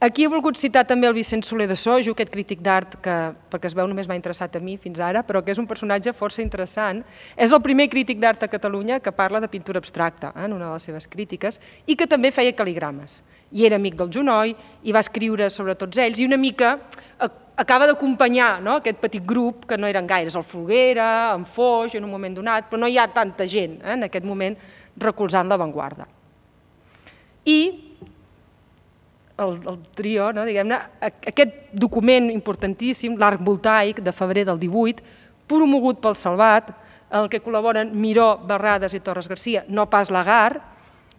Speaker 1: Aquí he volgut citar també el Vicent Soler de Sojo, aquest crític d'art que, perquè es veu, només m'ha interessat a mi fins ara, però que és un personatge força interessant. És el primer crític d'art a Catalunya que parla de pintura abstracta, en una de les seves crítiques, i que també feia cal·ligrames. I era amic del Junoy, i va escriure sobre tots ells, i una mica acaba d'acompanyar aquest petit grup, que no eren gaires, el Folguera, en Foix, en un moment donat, però no hi ha tanta gent en aquest moment recolzant l'avantguarda. I el trio, diguem-ne, aquest document importantíssim, l'Arc Voltaic de febrer del divuit, promogut pel Salvat, en el que col·laboren Miró, Barradas i Torres Garcia, no pas Lagarde.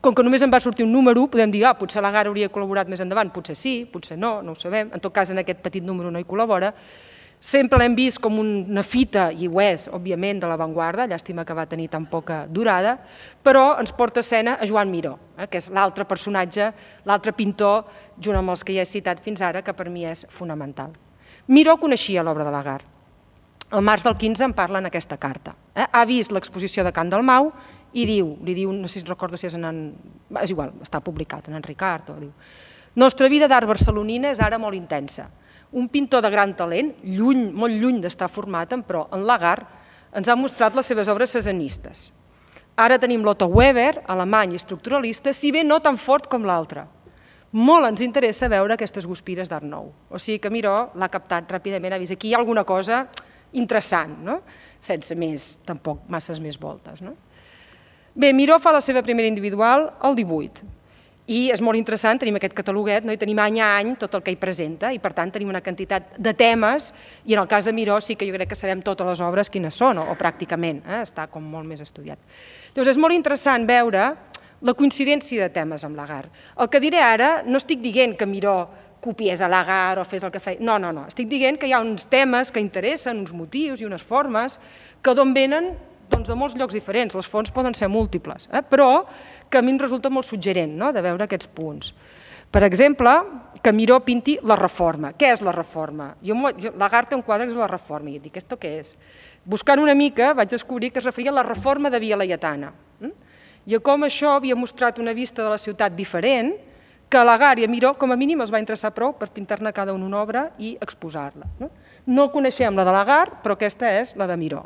Speaker 1: Com que només en va sortir un número, podem dir, ah, potser Lagarde hauria col·laborat més endavant, potser sí, potser no, no ho sabem, en tot cas en aquest petit número no hi col·labora. Sempre l'hem vist com una fita, i ho és, òbviament, de l'avantguarda, llàstima que va tenir tan poca durada, però ens porta a escena a Joan Miró, que és l'altre personatge, l'altre pintor, junt amb els que ja he citat fins ara, que per mi és fonamental. Miró coneixia l'obra de Lagarde. El març del quinze en parla en aquesta carta. Ha vist l'exposició de Can Dalmau i diu, li diu, no sé si recordo si és en... és igual, està publicat en en Ricard, o diu, nostra vida d'art barcelonina és ara molt intensa. Un pintor de gran talent, lluny, molt lluny d'estar format, però en Lagarde ens ha mostrat les seves obres cesanistes. Ara tenim l'Otto Weber, alemany i estructuralista, si bé no tan fort com l'altre. Molt ens interessa veure aquestes guspires d'art nou. O sigui que Miró l'ha captat ràpidament, ha vist aquí hi ha alguna cosa interessant, sense més, tampoc masses més voltes. Bé, Miró fa la seva primera individual al divuit. I és molt interessant, tenim aquest cataloguet, i tenim any a any tot el que hi presenta, i per tant tenim una quantitat de temes, i en el cas de Miró sí que jo crec que sabem totes les obres quines són, o pràcticament, està com molt més estudiat. Llavors és molt interessant veure la coincidència de temes amb Lagarde. El que diré ara, no estic dient que Miró copiés a Lagarde o fes el que feia. No, no, no. Estic dient que hi ha uns temes que interessen, uns motius i unes formes que d'on venen doncs, de molts llocs diferents. Les fonts poden ser múltiples, eh? Però que a mi em resulta molt suggerent, no?, de veure aquests punts. Per exemple, que Miró pinti la Reforma. Què és la Reforma? Jo, jo, Lagarde té un quadre que és la Reforma, i dic, ¿esto què és? Buscant una mica vaig descobrir que es referia a la Reforma de Via Laietana, eh? I a com això havia mostrat una vista de la ciutat diferent, que a Lagarde i a Miró, com a mínim, els va interessar prou per pintar-ne cada un una obra i exposar-la. No? No coneixem la de Lagarde, però aquesta és la de Miró.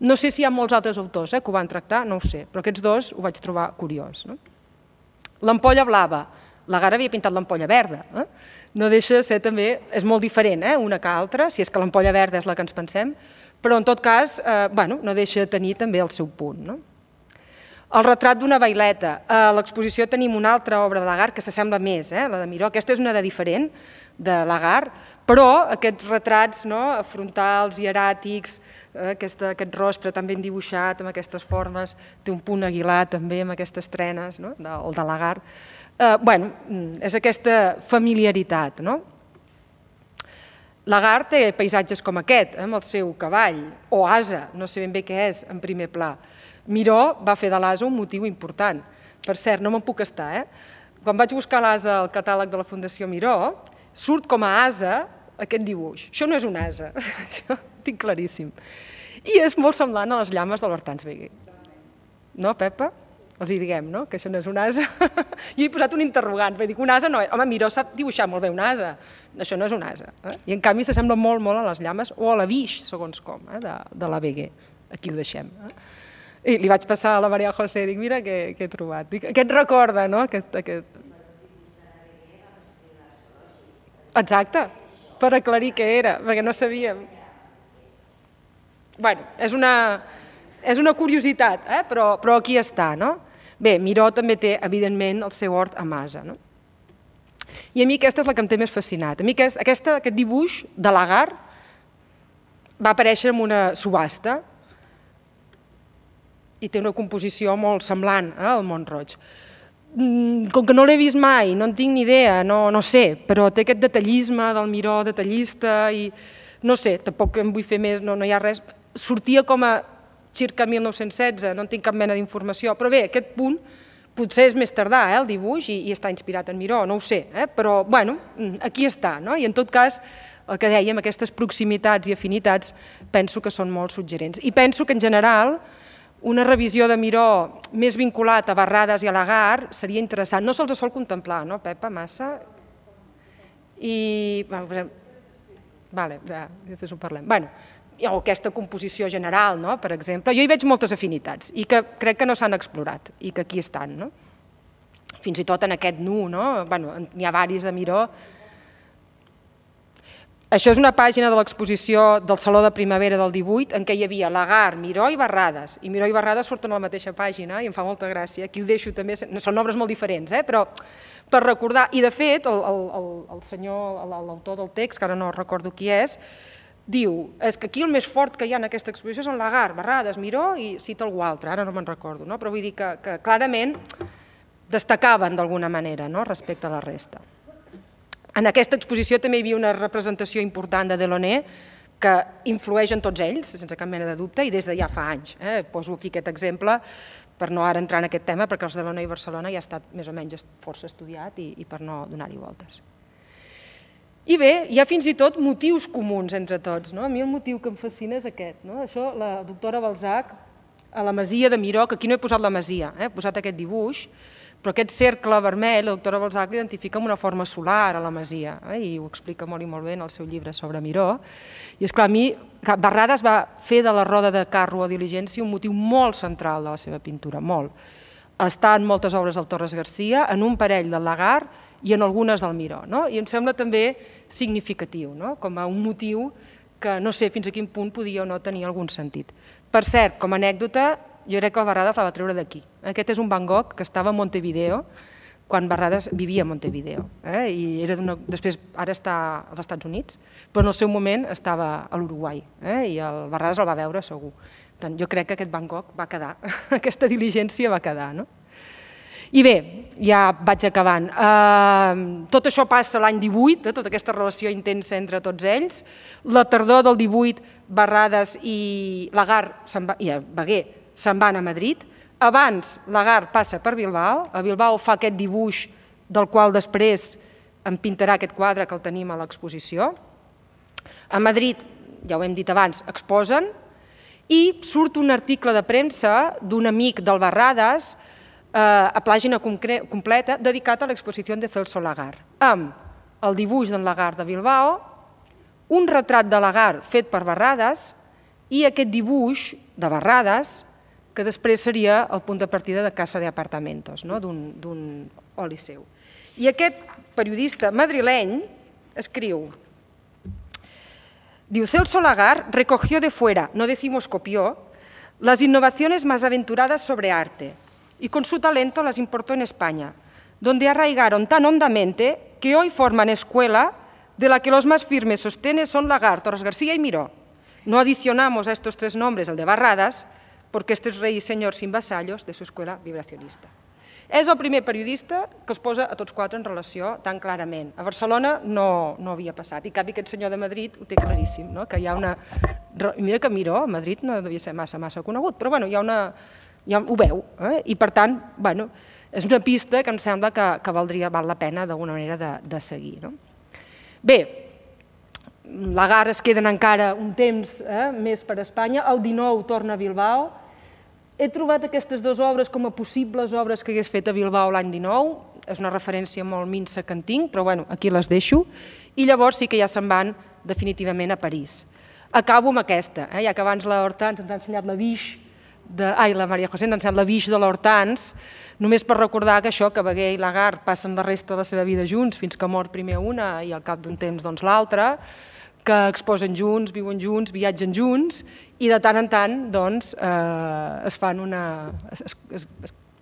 Speaker 1: No sé si hi ha molts altres autors eh, que ho van tractar, no ho sé, però aquests dos ho vaig trobar curiós. No? L'ampolla blava. Lagarde havia pintat l'ampolla verda. Eh? No deixa de ser també... És molt diferent, eh, una que altra, si és que l'ampolla verda és la que ens pensem, però en tot cas, eh, bueno, no deixa de tenir també el seu punt. No? El retrat d'una baileta. A l'exposició tenim una altra obra de Lagarde que s'assembla més, eh, la de Miró. Aquesta és una de diferent, de Lagarde, però aquests retrats no, frontals, hieràtics, eh, aquesta, aquest rostre tan ben dibuixat, amb aquestes formes, té un punt aguilar també amb aquestes trenes, no, de, el de Lagarde. Eh, bueno, és aquesta familiaritat, no? Lagarde té paisatges com aquest, eh, amb el seu cavall, o asa, no sé ben bé què és, en primer pla. Miró va fer de l'asa un motiu important. Per cert, no me'n puc estar, eh? Quan vaig buscar l'asa al catàleg de la Fundació Miró, surt com a asa aquest dibuix. Això no és un asa, això ho tinc claríssim. I és molt semblant a les llames de l'Hortense Wegué. No, Pepa? Els hi diguem, no?, que això no és un asa. Jo he posat un interrogant, perquè dic, un asa no és... Home, Miró sap dibuixar molt bé un asa. Això no és un asa. Eh? I en canvi s'assembla molt, molt a les llames, o a la Vix, segons com, eh, de, de la Wegué. Aquí ho deixem. Eh? I li vaig passar a la Maria José, dic, mira què, què he trobat. Dic, aquest recorda, no?, aquest... aquest... Exacte, per aclarir què era, perquè no sabíem. Bé, és una, és una curiositat, eh? però, però aquí està, no? Bé, Miró també té, evidentment, el seu hort a Masa, no? I a mi aquesta és la que em té més fascinat. A mi aquest, aquesta, aquest dibuix de Lagarde va aparèixer en una subhasta i té una composició molt semblant eh, al Mont-roig. Com que no l'he vist mai, no en tinc ni idea, no, no sé, però té aquest detallisme del Miró detallista i no sé, tampoc em vull fer més, no, no hi ha res. Sortia com a circa mil nou-cents setze, no en tinc cap mena d'informació, però bé, aquest punt potser és més tardà, eh, el dibuix, i, i està inspirat en Miró, no ho sé, eh, però bueno, aquí està, no? I en tot cas, el que dèiem, aquestes proximitats i afinitats, penso que són molt suggerents. I penso que en general una revisió de Miró més vinculat a Barradas i a Lagarde seria interessant. No se'ls sol contemplar, no, Pepa, massa? I... Vale, ja, després ho parlem. Bueno, o aquesta composició general, no? Per exemple. Jo hi veig moltes afinitats i que crec que no s'han explorat i que aquí estan, no? Fins i tot en aquest nu, no? Bueno, n'hi ha varis de Miró. Això és una pàgina de l'exposició del Saló de Primavera del divuit en què hi havia Lagarde, Miró i Barradas. I Miró i Barradas surten a la mateixa pàgina i em fa molta gràcia. Aquí ho deixo també, són obres molt diferents, eh? Però per recordar, i de fet el, el, el senyor, l'autor del text, que ara no recordo qui és, diu, és que aquí el més fort que hi ha en aquesta exposició són Lagarde, Barradas, Miró i cita algú altre, ara no me'n recordo, no? Però vull dir que, que clarament destacaven d'alguna manera, no?, respecte a la resta. En aquesta exposició també hi havia una representació important de Delaunay que influeix en tots ells, sense cap mena de dubte, i des de ja fa anys. Eh? Poso aquí aquest exemple per no ara entrar en aquest tema, perquè els Delaunay i Barcelona ja ha estat més o menys força estudiat i, i per no donar-hi voltes. I bé, hi ha fins i tot motius comuns entre tots. No? A mi el motiu que em fascina és aquest. No? Això, la doctora Balzac, a la masia de Miró, que aquí no he posat la masia, eh? He posat aquest dibuix, però aquest cercle vermell, la doctora Balzac l'identifica amb una forma solar a la masia, eh? I ho explica molt i molt bé en el seu llibre sobre Miró. I esclar, a mi, Barradas va fer de la roda de carro o diligència un motiu molt central de la seva pintura, molt. Està en moltes obres del Torres Garcia, en un parell del Lagarde i en algunes del Miró, no? I em sembla també significatiu, no? Com a un motiu que no sé fins a quin punt podia o no tenir algun sentit. Per cert, com a anècdota, jo crec que el Barradas la va treure d'aquí. Aquest és un Van Gogh que estava a Montevideo, quan Barradas vivia a Montevideo. Eh? I era després, ara està als Estats Units, però en el seu moment estava a l'Uruguai, eh? I el Barradas el va veure segur. Tant, jo crec que aquest Van Gogh va quedar, aquesta diligència va quedar, no? I bé, ja vaig acabant. Tot això passa l'any divuit, tota aquesta relació intensa entre tots ells. La tardor del divuit, Barradas i Lagarde i Beguer se'n van a Madrid. Abans, Lagarde passa per Bilbao. A Bilbao fa aquest dibuix del qual després em pintarà aquest quadre que el tenim a l'exposició. A Madrid, ja ho hem dit abans, exposen i surt un article de premsa d'un amic del Barradas a pàgina completa dedicat a l'exposició de Celso Lagarde, amb el dibuix d'en Lagarde de Bilbao, un retrat de Lagarde fet per Barradas i aquest dibuix de Barradas que després seria el punt de partida de Casa de Apartamentos, d'un oli seu. I aquest periodista madrileny escriu, diu, Celso Lagarde recogió de fuera, no decimos copió, las innovaciones más aventuradas sobre arte y con su talento las importó en España, donde arraigaron tan hondamente que hoy forman escuela de la que los más firmes sostenes son Lagarde, Torres García y Miró. No adicionamos a estos tres nombres el de Barradas, porque este es rey y señor sin vasallos de su escuela vibracionista. És el primer periodista que els posa a tots quatre en relació tan clarament. A Barcelona no havia passat, i en canvi aquest senyor de Madrid ho té claríssim, que hi ha una... Mira que Miró a Madrid no devia ser massa, massa conegut, però bueno, hi ha una... ho veu, i per tant, bueno, és una pista que em sembla que valdria, val la pena d'alguna manera de seguir. Bé, Lagarde es queden encara un temps més per Espanya, el dinou torna a Bilbao. He trobat aquestes dues obres com a possibles obres que hagués fet a Bilbao l'any dinou, és una referència molt minsa que en tinc, però bueno, aquí les deixo, i llavors sí que ja se'n van definitivament a París. Acabo amb aquesta, ja que abans la Hortans ens ha ensenyat la Biche, ai, la Maria José ens ha ensenyat la Biche de l'Hortans, només per recordar que això, que Beguer i Lagarde passen la resta de la seva vida junts fins que mor primer una i al cap d'un temps doncs l'altra, que exposen junts, viuen junts, viatgen junts i de tant en tant doncs es fan una... es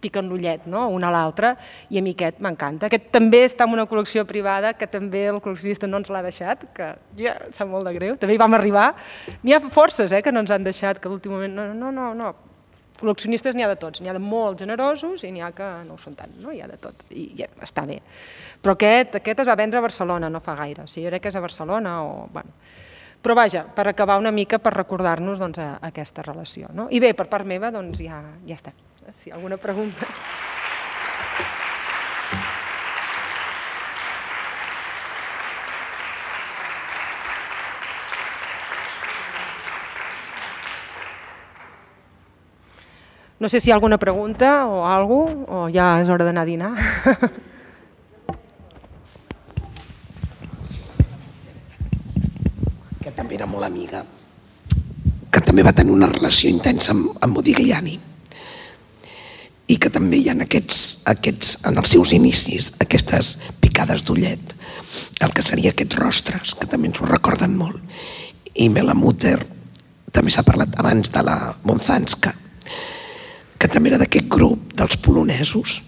Speaker 1: piquen l'ullet un a l'altre i a mi aquest m'encanta. Aquest també està en una col·lecció privada que també el col·leccionista no ens l'ha deixat, que ja sap molt de greu, també hi vam arribar. N'hi ha forces que no ens han deixat, que l'últim moment... No, no, no, no. Col·leccionistes n'hi ha de tots, n'hi ha de molt generosos i n'hi ha que no ho són tant, no? Hi ha de tot, i ja està bé. Però aquest es va vendre a Barcelona no fa gaire, o sigui, jo crec que és a Barcelona o... Però vaja, per acabar una mica, per recordar-nos aquesta relació. I bé, per part meva, doncs ja està. Si hi ha alguna pregunta... No sé si hi ha alguna pregunta o alguna cosa, o ja és hora d'anar a dinar.
Speaker 2: Que també era molt amiga, que també va tenir una relació intensa amb Modigliani i que també hi ha aquests, en els seus inicis, aquestes picades d'ullet, el que seria aquests rostres, que també ens ho recorden molt. I Mela Mutter, també s'ha parlat abans de la Bonzanska, que també era d'aquest grup dels polonesos.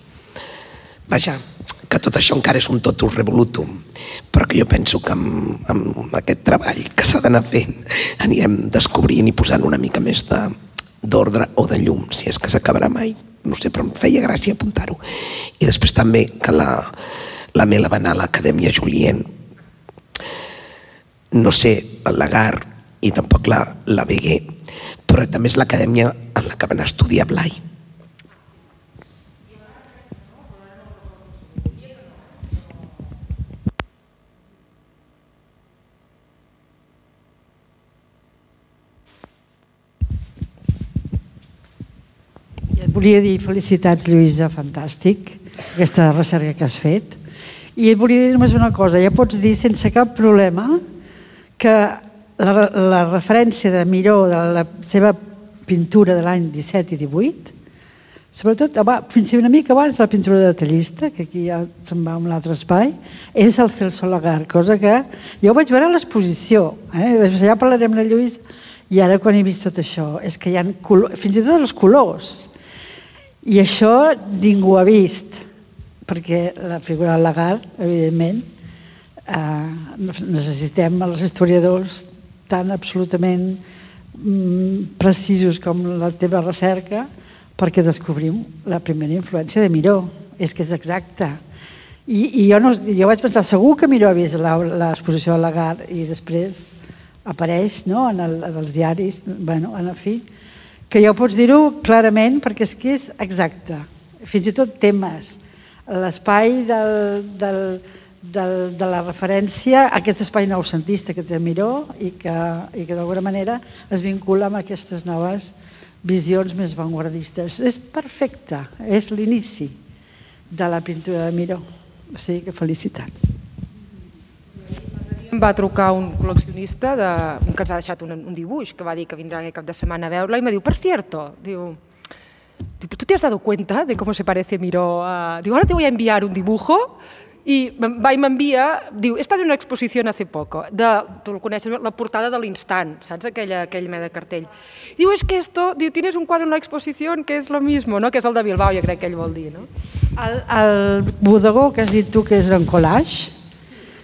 Speaker 2: Vaja, que tot això encara és un totus revolutum, però que jo penso que amb aquest treball que s'ha d'anar fent anirem descobrint i posant una mica més d'ordre o de llum, si és que s'acabarà mai. No sé, però em feia gràcia apuntar-ho. I després també que la Mela va anar a l'Acadèmia Julienne. No sé, el Lagarde i tampoc la Beguer, però també és l'acadèmia en la que van estudiar Blai.
Speaker 3: Et volia dir felicitats, Lluïsa, fantàstic, aquesta recerca que has fet. I et volia dir només una cosa, ja pots dir sense cap problema que la referència de Miró, de la seva pintura de l'any disset i divuit, sobretot fins i una mica abans la pintura detallista, que aquí ja se'n va a un altre espai, és el Celso Lagarde, cosa que jo ho vaig veure a l'exposició, ja parlarem de Lluís, i ara quan he vist tot això, és que hi ha fins i tot els colors, i això ningú ha vist, perquè la figura del Lagarde, evidentment, necessitem els historiadors tan absolutament precisos com la teva recerca perquè descobrim la primera influència de Miró. és que és exacte. I, i jo, no, jo vaig pensar, segur que Miró ha vist l'exposició de Lagarde i després apareix, no?, en, el, en els diaris, bueno, en fi, que ja ho pots dir-ho clarament perquè és que és exacte. Fins i tot temes, l'espai del, del, del, de la referència a aquest espai noucentista que té Miró i que, i que d'alguna manera es vincula amb aquestes noves visions més vanguardistes. És perfecte, és l'inici de la pintura de Miró. O sigui que felicitats.
Speaker 1: Em va trucar un col·leccionista de, que ens ha deixat un, un dibuix, que va dir que vindrà aquest cap de setmana a veure-la i me diu, per cierto, diu, ¿tú te has dado cuenta de cómo se parece Miró a...? Digo, ahora te voy a enviar un dibujo i va i m'envia, diu, he estat en una exposició hace poco, de, tu el coneixes, la portada de l'Instant, saps? Aquella, aquell mena de cartell. Diu, es que esto, diu, tienes un quadre en una exposició que és lo mismo, no? Que és el de Bilbao, jo crec que ell vol dir, no?
Speaker 3: El, el bodegó que has dit tu que és en collage,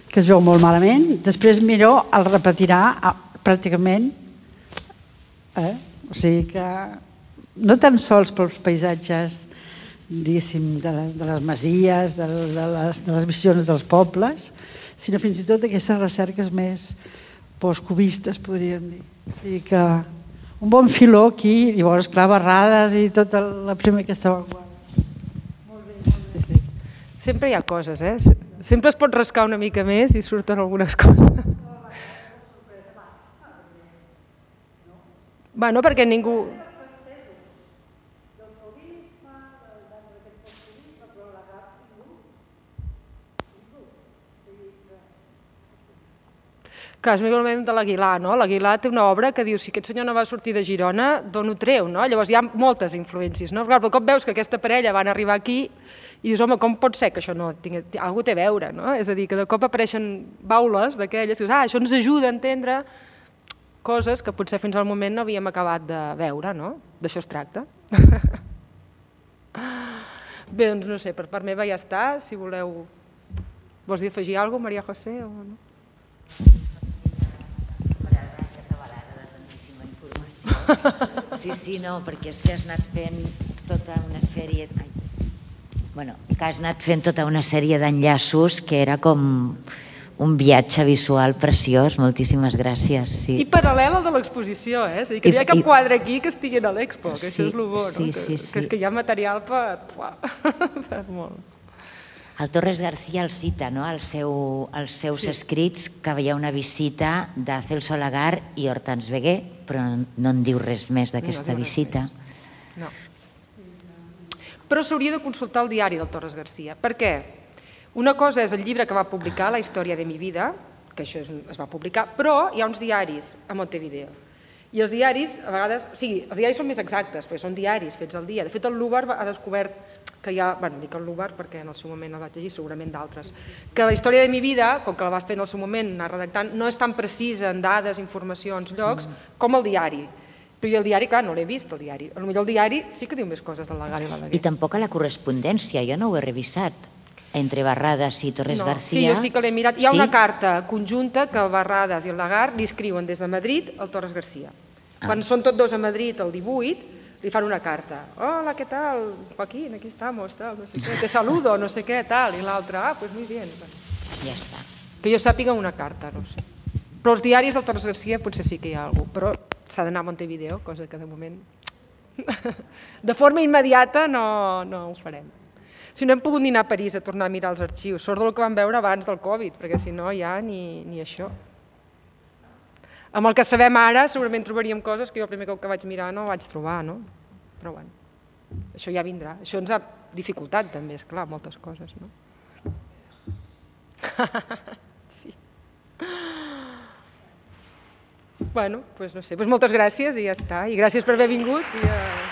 Speaker 3: que es veu molt malament, després Miró el repetirà pràcticament, eh? O sigui que no tan sols pels paisatges diguéssim, de les, de les masies, de les, de les visions dels pobles, sinó fins i tot aquestes recerques més postcubistes, podríem dir. O sigui que un bon filó aquí, i llavors, clar, barrades i tota la primera aquesta vanguarda. Molt bé, molt bé, sí.
Speaker 1: Sempre hi ha coses, eh? Sempre es pot rascar una mica més i surten algunes coses. Bueno, perquè ningú... Clar, és un moment de l'Aguilar, no? L'Aguilar té una obra que diu, si aquest senyor no va sortir de Girona, d'on ho treu, no? Llavors hi ha moltes influències, no? Clar, però cop veus que aquesta parella van arribar aquí i dius, home, com pot ser que això no tingui... Algú té a veure, no? És a dir, que de cop apareixen baules d'aquelles, que dius, ah, això ens ajuda a entendre coses que potser fins al moment no havíem acabat de veure, no? D'això es tracta. Bé, doncs no sé, per part meva ja està, si voleu... Vols dir afegir alguna cosa, Maria José, o no?
Speaker 4: Sí, sí, no, perquè és que has anat fent tota una sèrie... Bueno, que has anat fent tota una sèrie d'enllaços que era com un viatge visual preciós. Moltíssimes gràcies. Sí.
Speaker 1: I paral·lel al de l'exposició, eh? És a dir, que no hi ha cap quadre aquí que estigui a l'Expo, que això és el bo, no?
Speaker 4: Sí, sí, sí.
Speaker 1: Que és que hi ha material per... per molt.
Speaker 4: El Torres García el cita, no?, als seus escrits, que hi ha una visita de Celso Lagarde i Hortense Veguer, però no en diu res més d'aquesta visita.
Speaker 1: No. Però s'hauria de consultar el diari del Torres García. Per què? Una cosa és el llibre que va publicar, La història de mi vida, que això es va publicar, però hi ha uns diaris a Montevideo. I els diaris, a vegades... O sigui, els diaris són més exactes, perquè són diaris fets al dia. De fet, el Lubar ha descobert que hi ha... Bueno, dic el Lubar perquè en el seu moment el vaig llegir, segurament d'altres. Que la història de mi vida, com que la va fer en el seu moment, anar redactant, no és tan precisa en dades, informacions, llocs, com el diari. Però jo el diari, clar, no l'he vist, el diari. Potser el diari sí que diu més coses del Lagarde i la Veguer.
Speaker 4: I tampoc a la correspondència, jo no ho he revisat, entre Barradas i Torres García.
Speaker 1: Sí, jo sí que l'he mirat. Hi ha una carta conjunta que el Barradas i el Lagarde li escriuen des de Madrid al Torres García. Quan són tots dos a Madrid el divuit, li fan una carta. Hola, ¿qué tal? Joaquín, aquí estamos, tal, no sé qué. Te saludo, no sé què, tal. I l'altre, ah, pues muy bien.
Speaker 4: Ja està.
Speaker 1: Que jo sàpiga una carta, no sé. Però els diaris del Torres García potser sí que hi ha alguna cosa, però s'ha d'anar a Montevideo, cosa que de moment de forma immediata no, no ho farem. Si no hem pogut ni anar a París a tornar a mirar els arxius, sort del que vam veure abans del Covid, perquè si no ja ni, ni això. Amb el que sabem ara segurament trobaríem coses que jo el primer cop que vaig mirar no vaig trobar, no? Però bueno, això ja vindrà. Això ens ha dificultat també, esclar, moltes coses, no? Sí. Bueno, doncs no sé, moltes gràcies i ja està. I gràcies per haver vingut. I, uh...